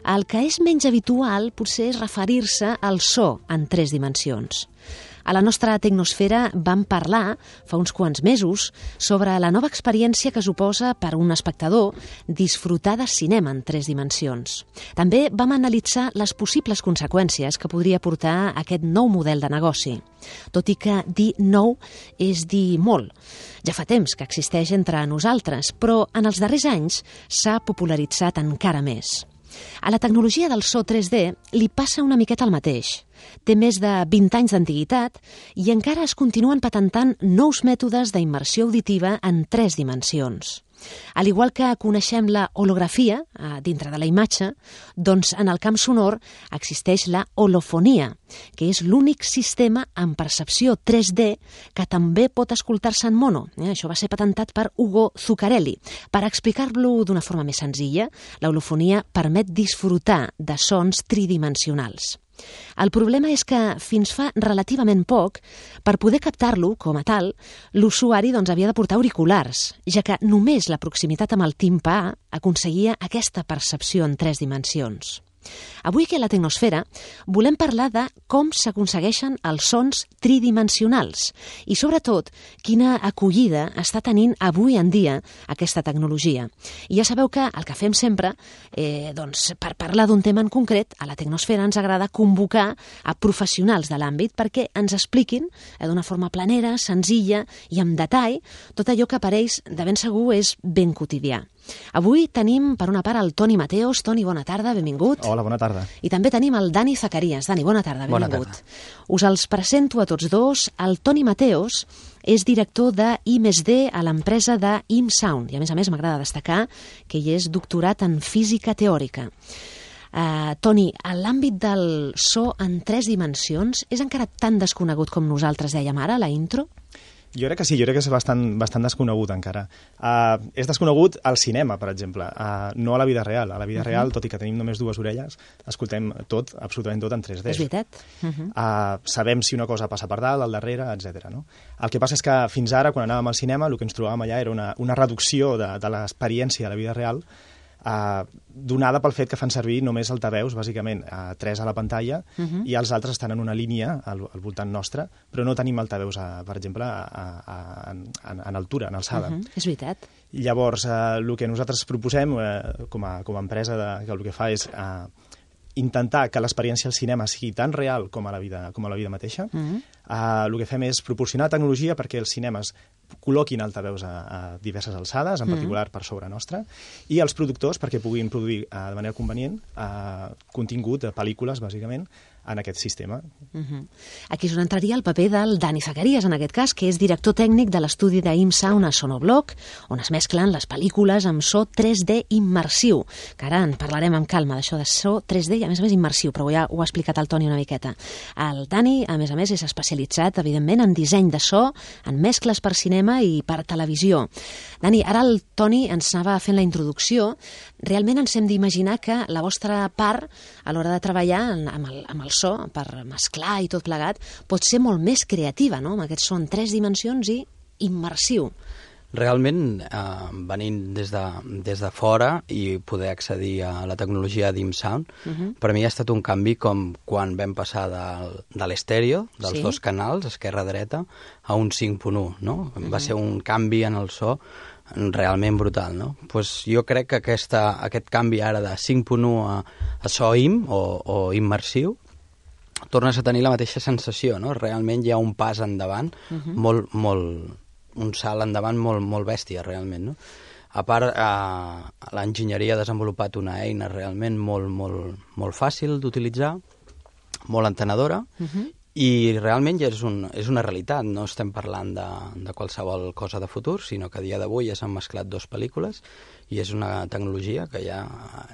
El que és menys habitual potser és referir-se al so en 3 dimensions. A la nostra Tecnosfera vam parlar fa uns quants mesos sobre la nova experiència que suposa per un espectador disfrutar de cinema en 3 dimensions. També vam analitzar les possibles conseqüències que podria portar aquest nou model de negoci. Tot i que dir nou és dir molt. Ja fa temps que existeix entre nosaltres, però en els darrers anys s'ha popularitzat encara més. A la tecnologia del so 3D li passa una miqueta el mateix. Té més de 20 anys d'antiguitat i encara es continuen patentant nous mètodes d'immersió auditiva en 3 dimensions. Al igual que coneixem la holografia dintre de la imatge, doncs en el camp sonor existeix la holofonia, que és l'únic sistema en percepció 3D que també pot escoltar-se en mono. Això va ser patentat per Ugo Zuccarelli. Per explicar-lo d'una forma més senzilla, la holofonia permet disfrutar de sons tridimensionals. El problema és que fins fa relativament poc, per poder captar-lo com a tal, l'usuari havia de portar auriculars, ja que només la proximitat amb el timpà aconseguia aquesta percepció en 3 dimensions. Avui aquí a la Tecnosfera volem parlar de com s'aconsegueixen els sons tridimensionals i, sobretot, quina acollida està tenint avui en dia aquesta tecnologia. I ja sabeu que el que fem sempre, per parlar d'un tema en concret, a la Tecnosfera ens agrada convocar a professionals de l'àmbit perquè ens expliquin d'una forma planera, senzilla i amb detall tot allò que per ells de ben segur és ben quotidià. Avui tenim, per una part, el Toni Mateos. Toni, bona tarda, benvingut. Hola, bona tarda. I també tenim el Dani Zacarías. Dani, bona tarda, benvingut. Bona tarda. Us els presento a tots dos. El Toni Mateos és director de I+D a l'empresa de ImSound. I a més m'agrada destacar que ell és doctorat en física teòrica. Toni, l'àmbit del so en 3 dimensions és encara tan desconegut com nosaltres dèiem ara, a la intro? Jo crec que sí, jo crec que és bastant desconegut encara. És desconegut al cinema, per exemple, no a la vida real. A la vida real, tot i que tenim només 2 orelles, escoltem tot, absolutament tot en 3D. És veritat. Sabem si una cosa passa per dalt, al darrere, etc. No? El que passa és que fins ara, quan anàvem al cinema, el que ens trobàvem allà era una reducció de l'experiència de la vida real, donada pel fet que fan servir només altaveus, bàsicament 3 a la pantalla, i els altres estan en una línia al voltant nostre, però no tenim altaveus, per exemple, en altura, en alçada. És veritat. Llavors, el que nosaltres proposem com a empresa, que el que fa és intentar que l'experiència al cinema sigui tan real com a la vida mateixa. El que fem és proporcionar tecnologia perquè els cinemes col·loquin altaveus a diverses alçades, en particular per sobre nostra, i els productors perquè puguin produir de manera convenient contingut, pel·lícules, bàsicament, en aquest sistema. Aquí és on entraria el paper del Dani Zacarías, en aquest cas, que és director tècnic de l'estudi d'ImSound a Sonobloc, on es mesclen les pel·lícules amb so 3D immersiu, que ara en parlarem amb calma d'això de so 3D i a més immersiu, però ja ho ha explicat el Toni una miqueta. El Dani, a més, és especialitzat, evidentment, en disseny de so, en mescles per cinema i per televisió. Dani, ara el Toni ens anava fent la introducció. Realment ens hem d'imaginar que la vostra part, a l'hora de treballar amb el so, per mesclar i tot plegat, pot ser molt més creativa, no?, amb aquest so en 3 dimensions i immersiu. Realment, venint des de fora i poder accedir a la tecnologia d'ImSound, per mi ha estat un canvi com quan vam passar de l'estèreo, dels 2 canals, esquerra-dreta, a un 5.1, no? Va ser un canvi en el so realment brutal, no? Pues jo crec que aquest canvi ara de 5.1 a so IM o immersiu, tornes a tenir la mateixa sensació, no? Realment hi ha un pas endavant, un salt endavant molt bèstia, realment, no? A part, l'enginyeria ha desenvolupat una eina realment molt fàcil d'utilitzar, molt entenedora, i realment ja és una realitat. No estem parlant de qualsevol cosa de futur, sinó que a dia d'avui ja s'han mesclat 2 pel·lícules i és una tecnologia que ja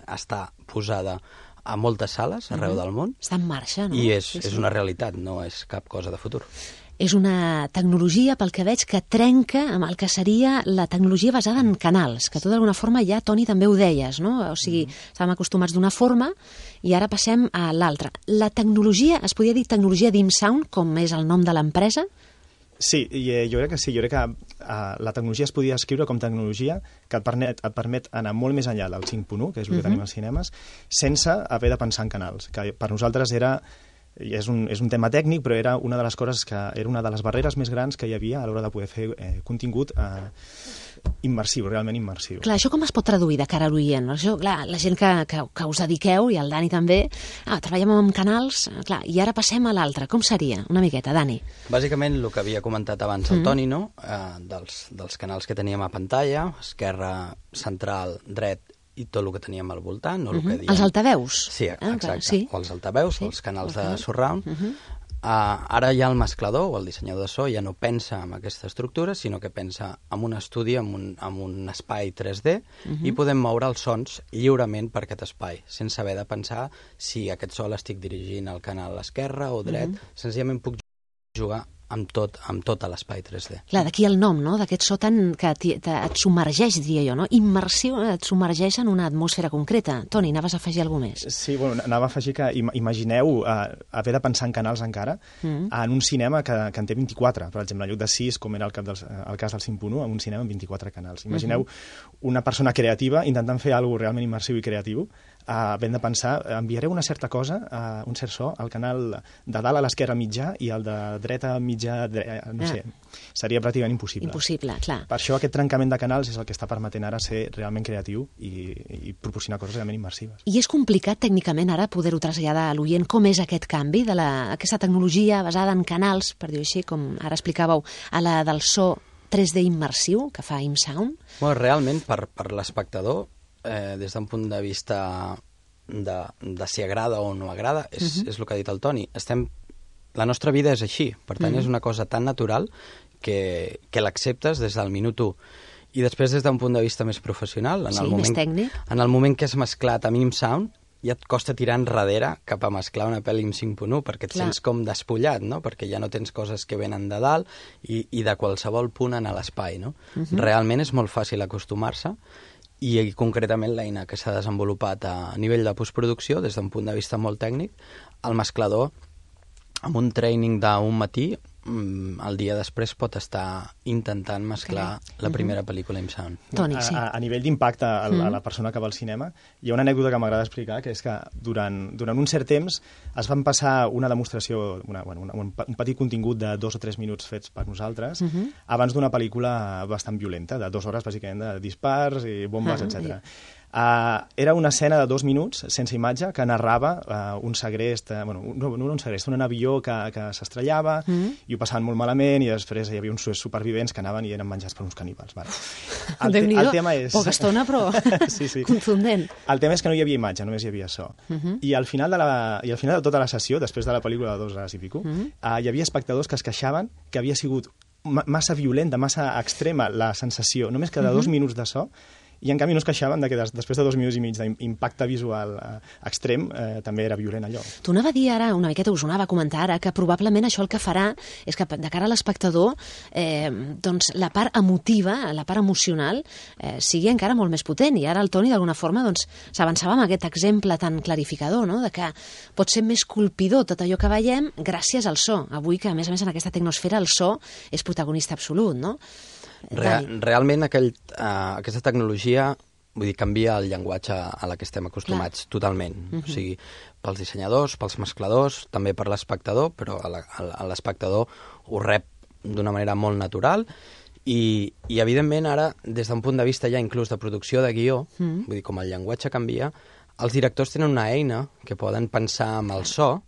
està posada a moltes sales arreu del món. Està en marxa, no? I és una realitat, no és cap cosa de futur. És una tecnologia, pel que veig, que trenca amb el que seria la tecnologia basada en canals, que tu d'alguna forma ja, Toni, també ho deies, no? O sigui, estàvem acostumats d'una forma i ara passem a l'altra. La tecnologia, es podria dir tecnologia d'ImSound, com és el nom de l'empresa? Sí, jo crec que sí. Jo crec que la tecnologia es podia escriure com tecnologia que et permet anar molt més enllà del 5.1, que és el que tenim als cinemes, sense haver de pensar en canals, que per nosaltres era I és un tema tècnic, però era una de les coses era una de les barreres més grans que hi havia a l'hora de poder fer contingut immersiu, realment immersiu. Clar, això com es pot traduir de cara a l'oient? Això, clar, la gent que us dediqueu, i el Dani també, treballem amb canals, clar, i ara passem a l'altre. Com seria? Una miqueta, Dani. Bàsicament, el que havia comentat abans el Toni, no? Dels canals que teníem a pantalla, esquerra, central, dret, i tot el que teníem al voltant. No? El que diem... Els altaveus. Sí, exacte. Clar, sí. O els altaveus, o els canals de surround. Ara ja el mesclador o el dissenyador de so ja no pensa en aquesta estructura, sinó que pensa en un estudi, en un espai 3D, i podem moure els sons lliurement per aquest espai, sense haver de pensar si aquest so l'estic dirigint al canal esquerre o dret. Senzillament puc jugar amb tot a l'espai 3D. Clar, d'aquí el nom, no?, d'aquest so tant que et submergeix, diria jo, no? Immersiu, et submergeix en una atmosfera concreta. Toni, anaves a afegir alguna més? Sí, bueno, anava a afegir que imagineu haver de pensar en canals encara en un cinema que en té 24, per exemple, en lloc de 6, com era el cas del 5.1, en un cinema amb 24 canals. Imagineu una persona creativa intentant fer alguna cosa realment immersiu i creatiu, havent de pensar, enviareu una certa cosa, un cert so, al canal de dalt a l'esquerra mitjà i al de dreta mitjà, no sé, seria pràcticament impossible. Impossible, clar. Per això aquest trencament de canals és el que està permetent ara ser realment creatiu i proporcionar coses realment immersives. I és complicat tècnicament ara poder-ho traslladar a l'oient com és aquest canvi d'aquesta tecnologia basada en canals, per dir-ho així, com ara explicàveu, a la del so 3D immersiu que fa ImSound? Bueno, realment, per l'espectador, des d'un punt de vista de si agrada o no agrada, és el que ha dit el Toni. La nostra vida és així, per tant és una cosa tan natural que l'acceptes des del minut 1. I després des d'un punt de vista més professional, més tècnic, en el moment que has mesclat amb ImSound, ja et costa tirar enrere cap a mesclar una pel·li amb 5.1, perquè et sents com despullat, no? Perquè ja no tens coses que venen de dalt i de qualsevol punt en l'espai, no? Realment és molt fàcil acostumar-se, i concretament l'eina que s'ha desenvolupat a nivell de postproducció, des d'un punt de vista molt tècnic, el mesclador, amb un training d'un matí, el dia després pot estar intentant mesclar la primera pel·lícula ImSound. Toni, sí. A nivell d'impacte a la persona que va al cinema, hi ha una anècdota que m'agrada explicar, que és que durant un cert temps es van passar una demostració, un petit contingut de 2 o 3 minuts fets per nosaltres, abans d'una pel·lícula bastant violenta, de 2 hores, bàsicament, de dispars i bombes, etc. Era una escena de 2 minuts, sense imatge, que narrava un segrest, no un segrest, un avió que s'estrellava, i ho passaven molt malament, i després hi havia uns supervivents que anaven i eren menjats per uns caníbals. Vale. El tema és... Poca estona, però contundent. El tema és que no hi havia imatge, només hi havia so. I al final de tota la sessió, després de la pel·lícula de 2 hores i pico, hi havia espectadors que es queixaven que havia sigut massa violenta, massa extrema la sensació, només que de 2 minuts de so, i en canvi no es queixaven que després de 2 minuts i mig d'impacte visual extrem també era violent allò. Tu anava a dir ara, una miqueta us ho anava a comentar ara, que probablement això el que farà és que de cara a l'espectador doncs la part emotiva, la part emocional sigui encara molt més potent, i ara el Toni d'alguna forma doncs s'avançava amb aquest exemple tan clarificador, no? De que pot ser més colpidor tot allò que veiem gràcies al so. Avui que a més en aquesta tecnosfera el so és protagonista absolut, no? Realment aquesta tecnologia canvia el llenguatge a la que estem acostumats totalment. O sigui, pels dissenyadors, pels mescladors, també per l'espectador, però l'espectador ho rep d'una manera molt natural i evidentment ara, des d'un punt de vista ja inclús de producció de guió, vull dir, com el llenguatge canvia, els directors tenen una eina que poden pensar amb el so,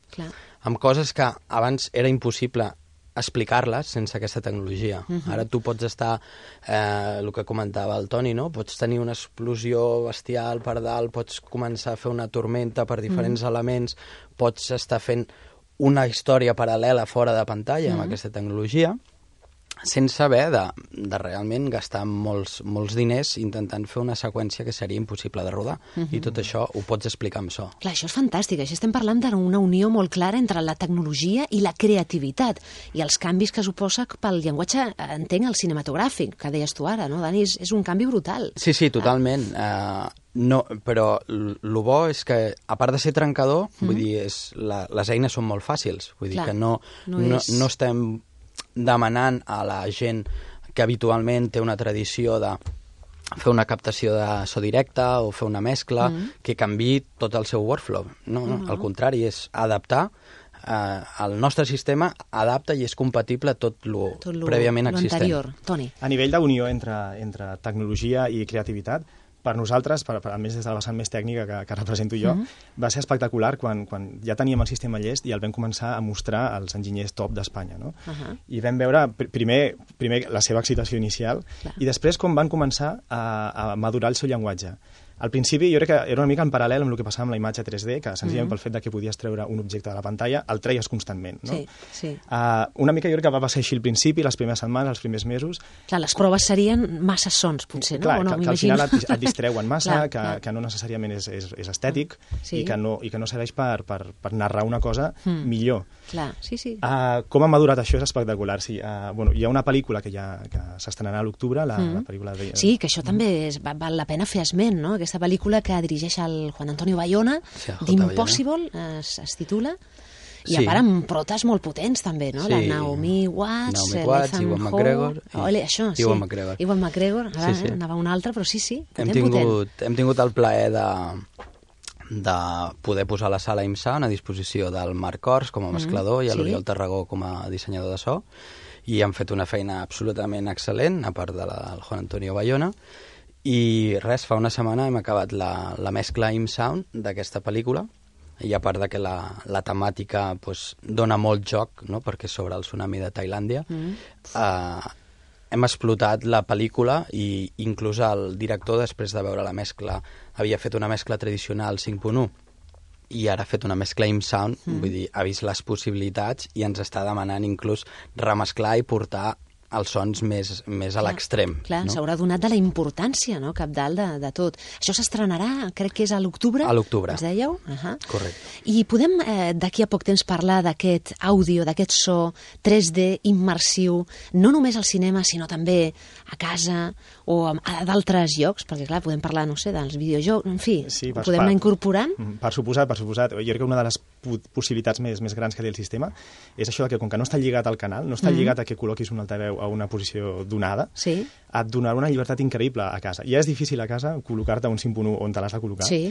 amb coses que abans era impossible explicar-les sense aquesta tecnologia. Ara tu pots estar, el que comentava el Toni, no? Pots tenir una explosió bestial per dalt, pots començar a fer una tormenta per diferents elements, pots estar fent una història paral·lela fora de pantalla amb aquesta tecnologia, sense haver de realment gastar molts diners intentant fer una seqüència que seria impossible de rodar. I tot això ho pots explicar amb so. Clar, això és fantàstic. Així estem parlant d'una unió molt clara entre la tecnologia i la creativitat i els canvis que suposa pel llenguatge, entenc, el cinematogràfic, que deies tu ara, no, Dani? És un canvi brutal. Sí, totalment. No, però el bo és que, a part de ser trencador, vull dir, les eines són molt fàcils. Vull dir que no estem demanant a la gent que habitualment té una tradició de fer una captació de so directe o fer una mescla que canviï tot el seu workflow. No, al contrari, és adaptar el nostre sistema adapta i és compatible a tot lo prèviament existent. Anterior. Toni. A nivell d'unió entre tecnologia i creativitat, per nosaltres, a més des de la vessant més tècnica que represento jo, va ser espectacular quan ja teníem el sistema llest i el vam començar a mostrar als enginyers top d'Espanya. No? I vam veure primer la seva excitació inicial i després com van començar a madurar el seu llenguatge. Al principi jo crec que era una mica en paral·lel amb el que passava amb la imatge 3D, que senzillament pel fet de que podies treure un objecte de la pantalla el treies constantment. No? Sí. Una mica jo crec que va passar així al principi, les primeres setmanes, els primers mesos. Clar, les proves serien massa sons, potser, no? Clar, o no, que al final et distreuen massa, que no necessàriament és estètic i que no serveix per narrar una cosa millor. Clar, sí. Com ha madurat això és espectacular. Sí, hi ha una pel·lícula que s'estrenarà a l'octubre, la pel·lícula de... Sí, que això també val la pena fer esment, no? Aquesta pel·lícula que dirigeix el Juan Antonio Bayona, d'Impossible, es titula, i a part amb protes molt potents també, no? La Naomi Watts, Ewan McGregor, Ewan McGregor, ara anava un altre, però sí, hem tingut el plaer de poder posar la sala IMSA a disposició del Marc Ors com a mesclador i a l'Oriol Tarragó com a dissenyador de so, i han fet una feina absolutament excel·lent, a part del Juan Antonio Bayona. I res, fa una setmana hem acabat la mescla IMSound d'aquesta pel·lícula, i a part de que la temàtica dona molt joc, no? Perquè és sobre el tsunami de Tailàndia, hem explotat la pel·lícula i inclús el director, després de veure la mescla, havia fet una mescla tradicional 5.1 i ara ha fet una mescla IMSound, vull dir, ha vist les possibilitats i ens està demanant inclús remesclar i portar els sons més a l'extrem. Clar, no? S'haurà donat de la importància, no?, capdalt de tot. Això s'estrenarà, crec que és a l'octubre. A l'octubre. Ens dèieu? Correcte. I podem d'aquí a poc temps parlar d'aquest àudio, d'aquest so 3D immersiu, no només al cinema, sinó també a casa o a d'altres llocs, perquè clar, podem parlar, no sé, dels videojocs, en fi, ho podem anar incorporant? Per suposat. Jo crec que una de les possibilitats més grans que té el sistema és això que com que no està lligat al canal, no està lligat a que col·loquis un altaveu a una posició donada, et donarà una llibertat increïble a casa. Ja és difícil a casa col·locar-te un 5.1 on te l'has de col·locar. Sí.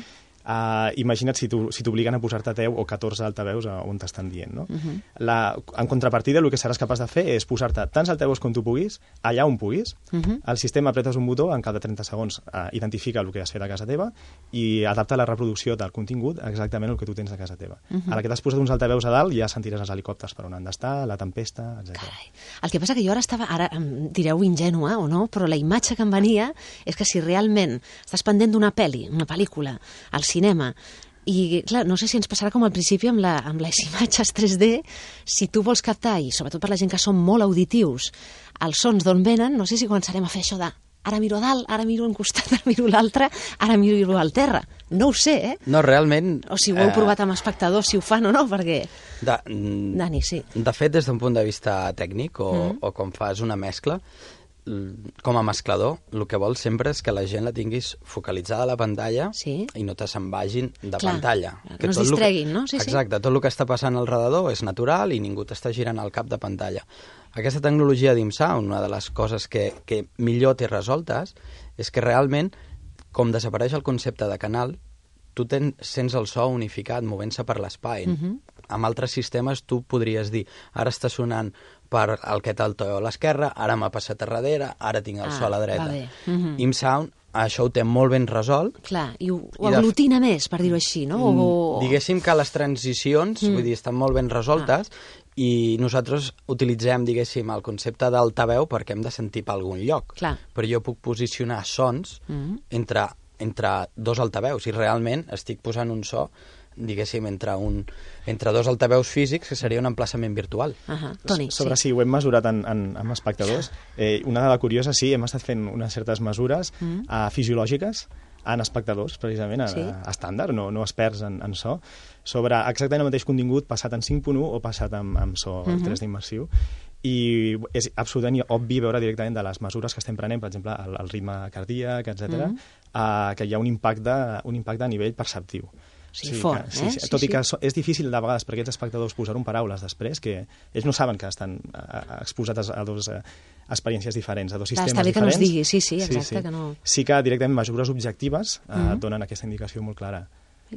Imagina't si t'obliguen a posar-te 10 o 14 altaveus on t'estan dient. No? En contrapartida, el que seràs capaç de fer és posar-te tants altaveus com tu puguis, allà on puguis. El sistema apretes un botó, en cap de 30 segons identifica el que has fet a casa teva i adapta la reproducció del contingut exactament el que tu tens a casa teva. A la que t'has posat uns altaveus a dalt ja sentiràs els helicòpters per on han d'estar, la tempesta, etc. El que passa que jo ara em direu ingènua o no, però la imatge que em venia és que si realment estàs pendent d'una una pel·lícula, al cinema, i clar, no sé si ens passarà com al principi amb les imatges 3D, si tu vols captar, i sobretot per la gent que són molt auditius, els sons d'on venen, no sé si començarem a fer això de ara miro a dalt, ara miro a un costat, ara miro a l'altre, ara miro al terra. No ho sé, eh? No, realment... O si ho heu provat amb espectadors, si ho fan o no, perquè... Dani, sí. De fet, des d'un punt de vista tècnic, o com fas una mescla, com a mesclador, el que vols sempre és que la gent la tinguis focalitzada a la pantalla i no te se'n vagin de pantalla. Que no es distreguin, no? Exacte, tot el que està passant al redador és natural i ningú t'està girant el cap de pantalla. Aquesta tecnologia d'IMSound, una de les coses que millor té resoltes, és que realment, com desapareix el concepte de canal, tu sents el so unificat movent-se per l'espai. Amb altres sistemes tu podries dir, ara està sonant per el que t'alteo a l'esquerra, ara m'ha passat a darrere, ara tinc el so a la dreta. IMSound això ho té molt ben resolt. Clar, i ho aglutina més, per dir-ho així, no? Diguéssim que les transicions, vull dir, estan molt ben resoltes i nosaltres utilitzem, diguéssim, el concepte d'altaveu perquè hem de sentir per algun lloc. Clar. Però jo puc posicionar sons entre dos altaveus i realment estic posant un so diguéssim, entre dos altaveus físics, que seria un emplaçament virtual. Toni, sobre si ho hem mesurat amb espectadors, una dada curiosa, sí, hem estat fent unes certes mesures fisiològiques en espectadors, precisament, estàndard, no experts en so, sobre exactament el mateix contingut passat en 5.1 o passat amb so 3D immersiu. I és absolutament obvi veure directament de les mesures que estem prenent, per exemple, el ritme cardíac, etc., que hi ha un impacte a nivell perceptiu. Fort, tot i que és difícil de vegades per aquests espectadors posar-ho en paraules després, que ells no saben que estan exposats a dues experiències diferents, a dos sistemes diferents. Està bé que no es digui, exacte. Que no... Sí que directament mesures objectives donen aquesta indicació molt clara.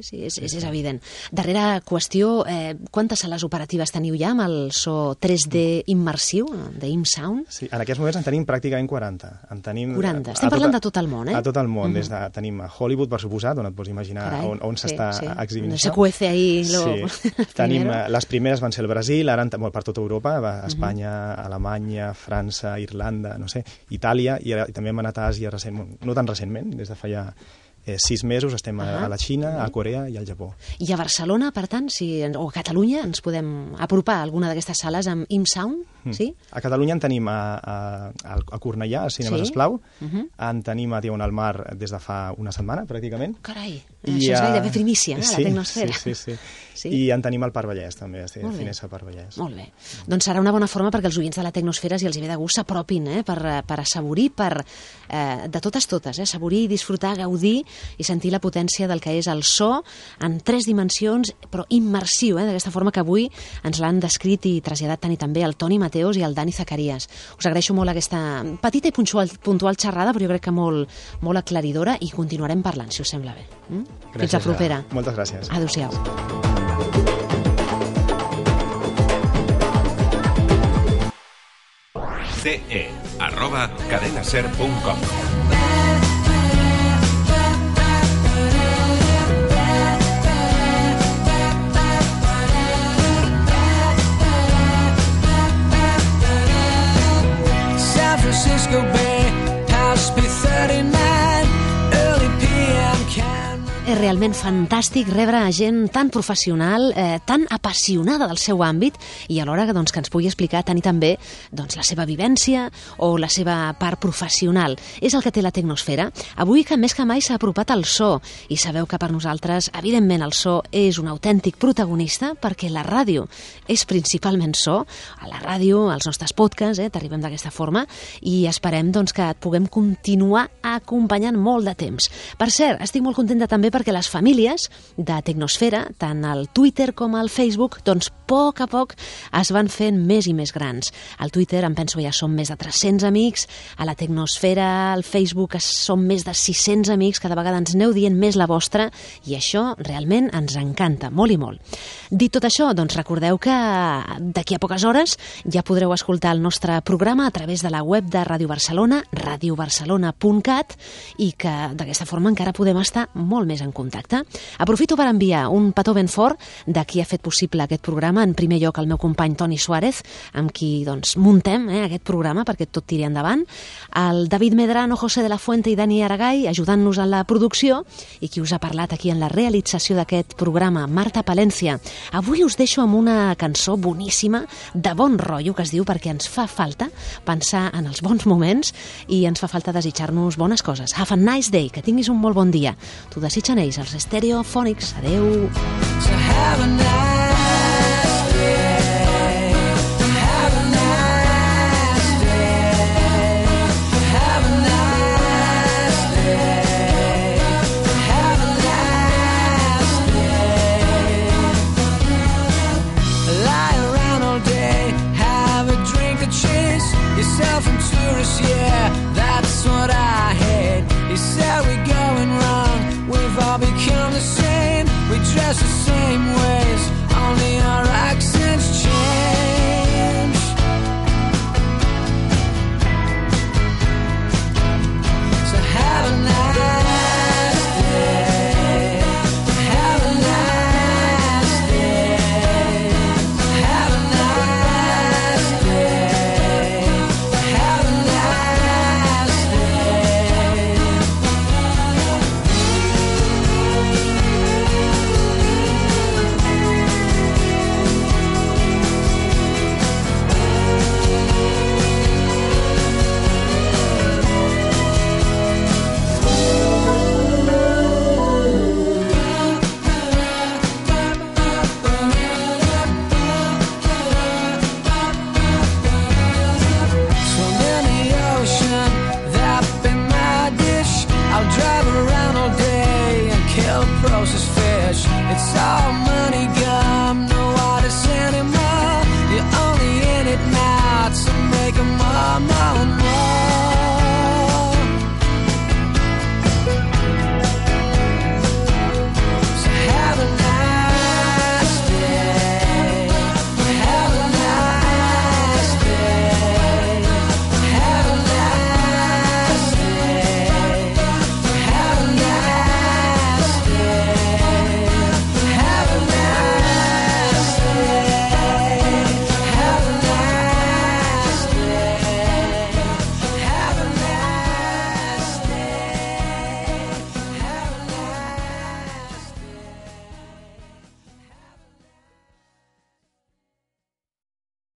Sí, és evident. Darrera qüestió, quantes sales operatives teniu ja amb el so 3D immersiu, d'ImSound? Sí, en aquests moments en tenim pràcticament 40. 40. Estem parlant de tot el món, A tot el món. Tenim a Hollywood, per suposat, on et pots imaginar on s'està exhibint això. Se cuece ahí tenim, les primeres van ser el Brasil, ara per tota Europa, Espanya, Alemanya, França, Irlanda, no sé, Itàlia, i també hem anat a Àsia no tan recentment, des de fa ja 6 mesos estem a la Xina, a Corea i al Japó. I a Barcelona, per tant, o a Catalunya, ens podem apropar a alguna d'aquestes sales amb ImSound? Sí? A Catalunya en tenim a Cornellà, a Cinemes Esclau, en tenim a Diagonal Mar des de fa una setmana, pràcticament. Carai, això és gairebé primícia, la Tecnosfera. Sí. I en tenim al Parc Vallès, també, a Finesa Parc Vallès. Molt bé. Doncs serà una bona forma perquè els oients de la Tecnosfera, si els hi ve de gust, s'apropin per assaborir, de totes, assaborir, disfrutar, gaudir i sentir la potència del que és el so en 3 dimensions, però immersiu, d'aquesta forma que avui ens l'han descrit i traslladat tant i també el Toni Mateos i el Dani Zacarías. Us agraeixo molt aquesta petita i puntual xerrada, però jo crec que molt aclaridora, i continuarem parlant, si us sembla bé. Fins la propera. Moltes gràcies. Adéu-siau. ce@cadenaser.com. Francisco Bay, past B39, early PM can... És realment fantàstic rebre a gent tan professional, tan apassionada del seu àmbit, i alhora que ens pugui explicar tant i també la seva vivència o la seva part professional. És el que té la Tecnosfera. Avui, que més que mai, s'ha apropat al so, i sabeu que per nosaltres, evidentment, el so és un autèntic protagonista, perquè la ràdio és principalment so. A la ràdio, als nostres podcasts, t'arribem d'aquesta forma, i esperem que et puguem continuar acompanyant molt de temps. Per cert, estic molt contenta també perquè les famílies de Tecnosfera, tant al Twitter com al Facebook, a poc es van fent més i més grans. Al Twitter, em penso, ja som més de 300 amics, a la Tecnosfera, al Facebook, som més de 600 amics, cada vegada ens aneu dient més la vostra, i això realment ens encanta, molt i molt. Dit tot això, recordeu que d'aquí a poques hores ja podreu escoltar el nostre programa a través de la web de Ràdio Barcelona, radiobarcelona.cat, i que d'aquesta forma encara podem estar molt més en contacte. Aprofito per enviar un petó ben fort de qui ha fet possible aquest programa. En primer lloc, el meu company Toni Suárez, amb qui muntem aquest programa perquè tot tiri endavant. El David Medrano, José de la Fuente i Dani Aragay, ajudant-nos en la producció, i qui us ha parlat aquí en la realització d'aquest programa, Marta Palencia. Avui us deixo amb una cançó boníssima, de bon rotllo, que es diu Perquè ens fa falta pensar en els bons moments i ens fa falta desitjar-nos bones coses. Have a nice day, que tinguis un molt bon dia. T'ho desitgen ells, els Stereophonics. Adeu.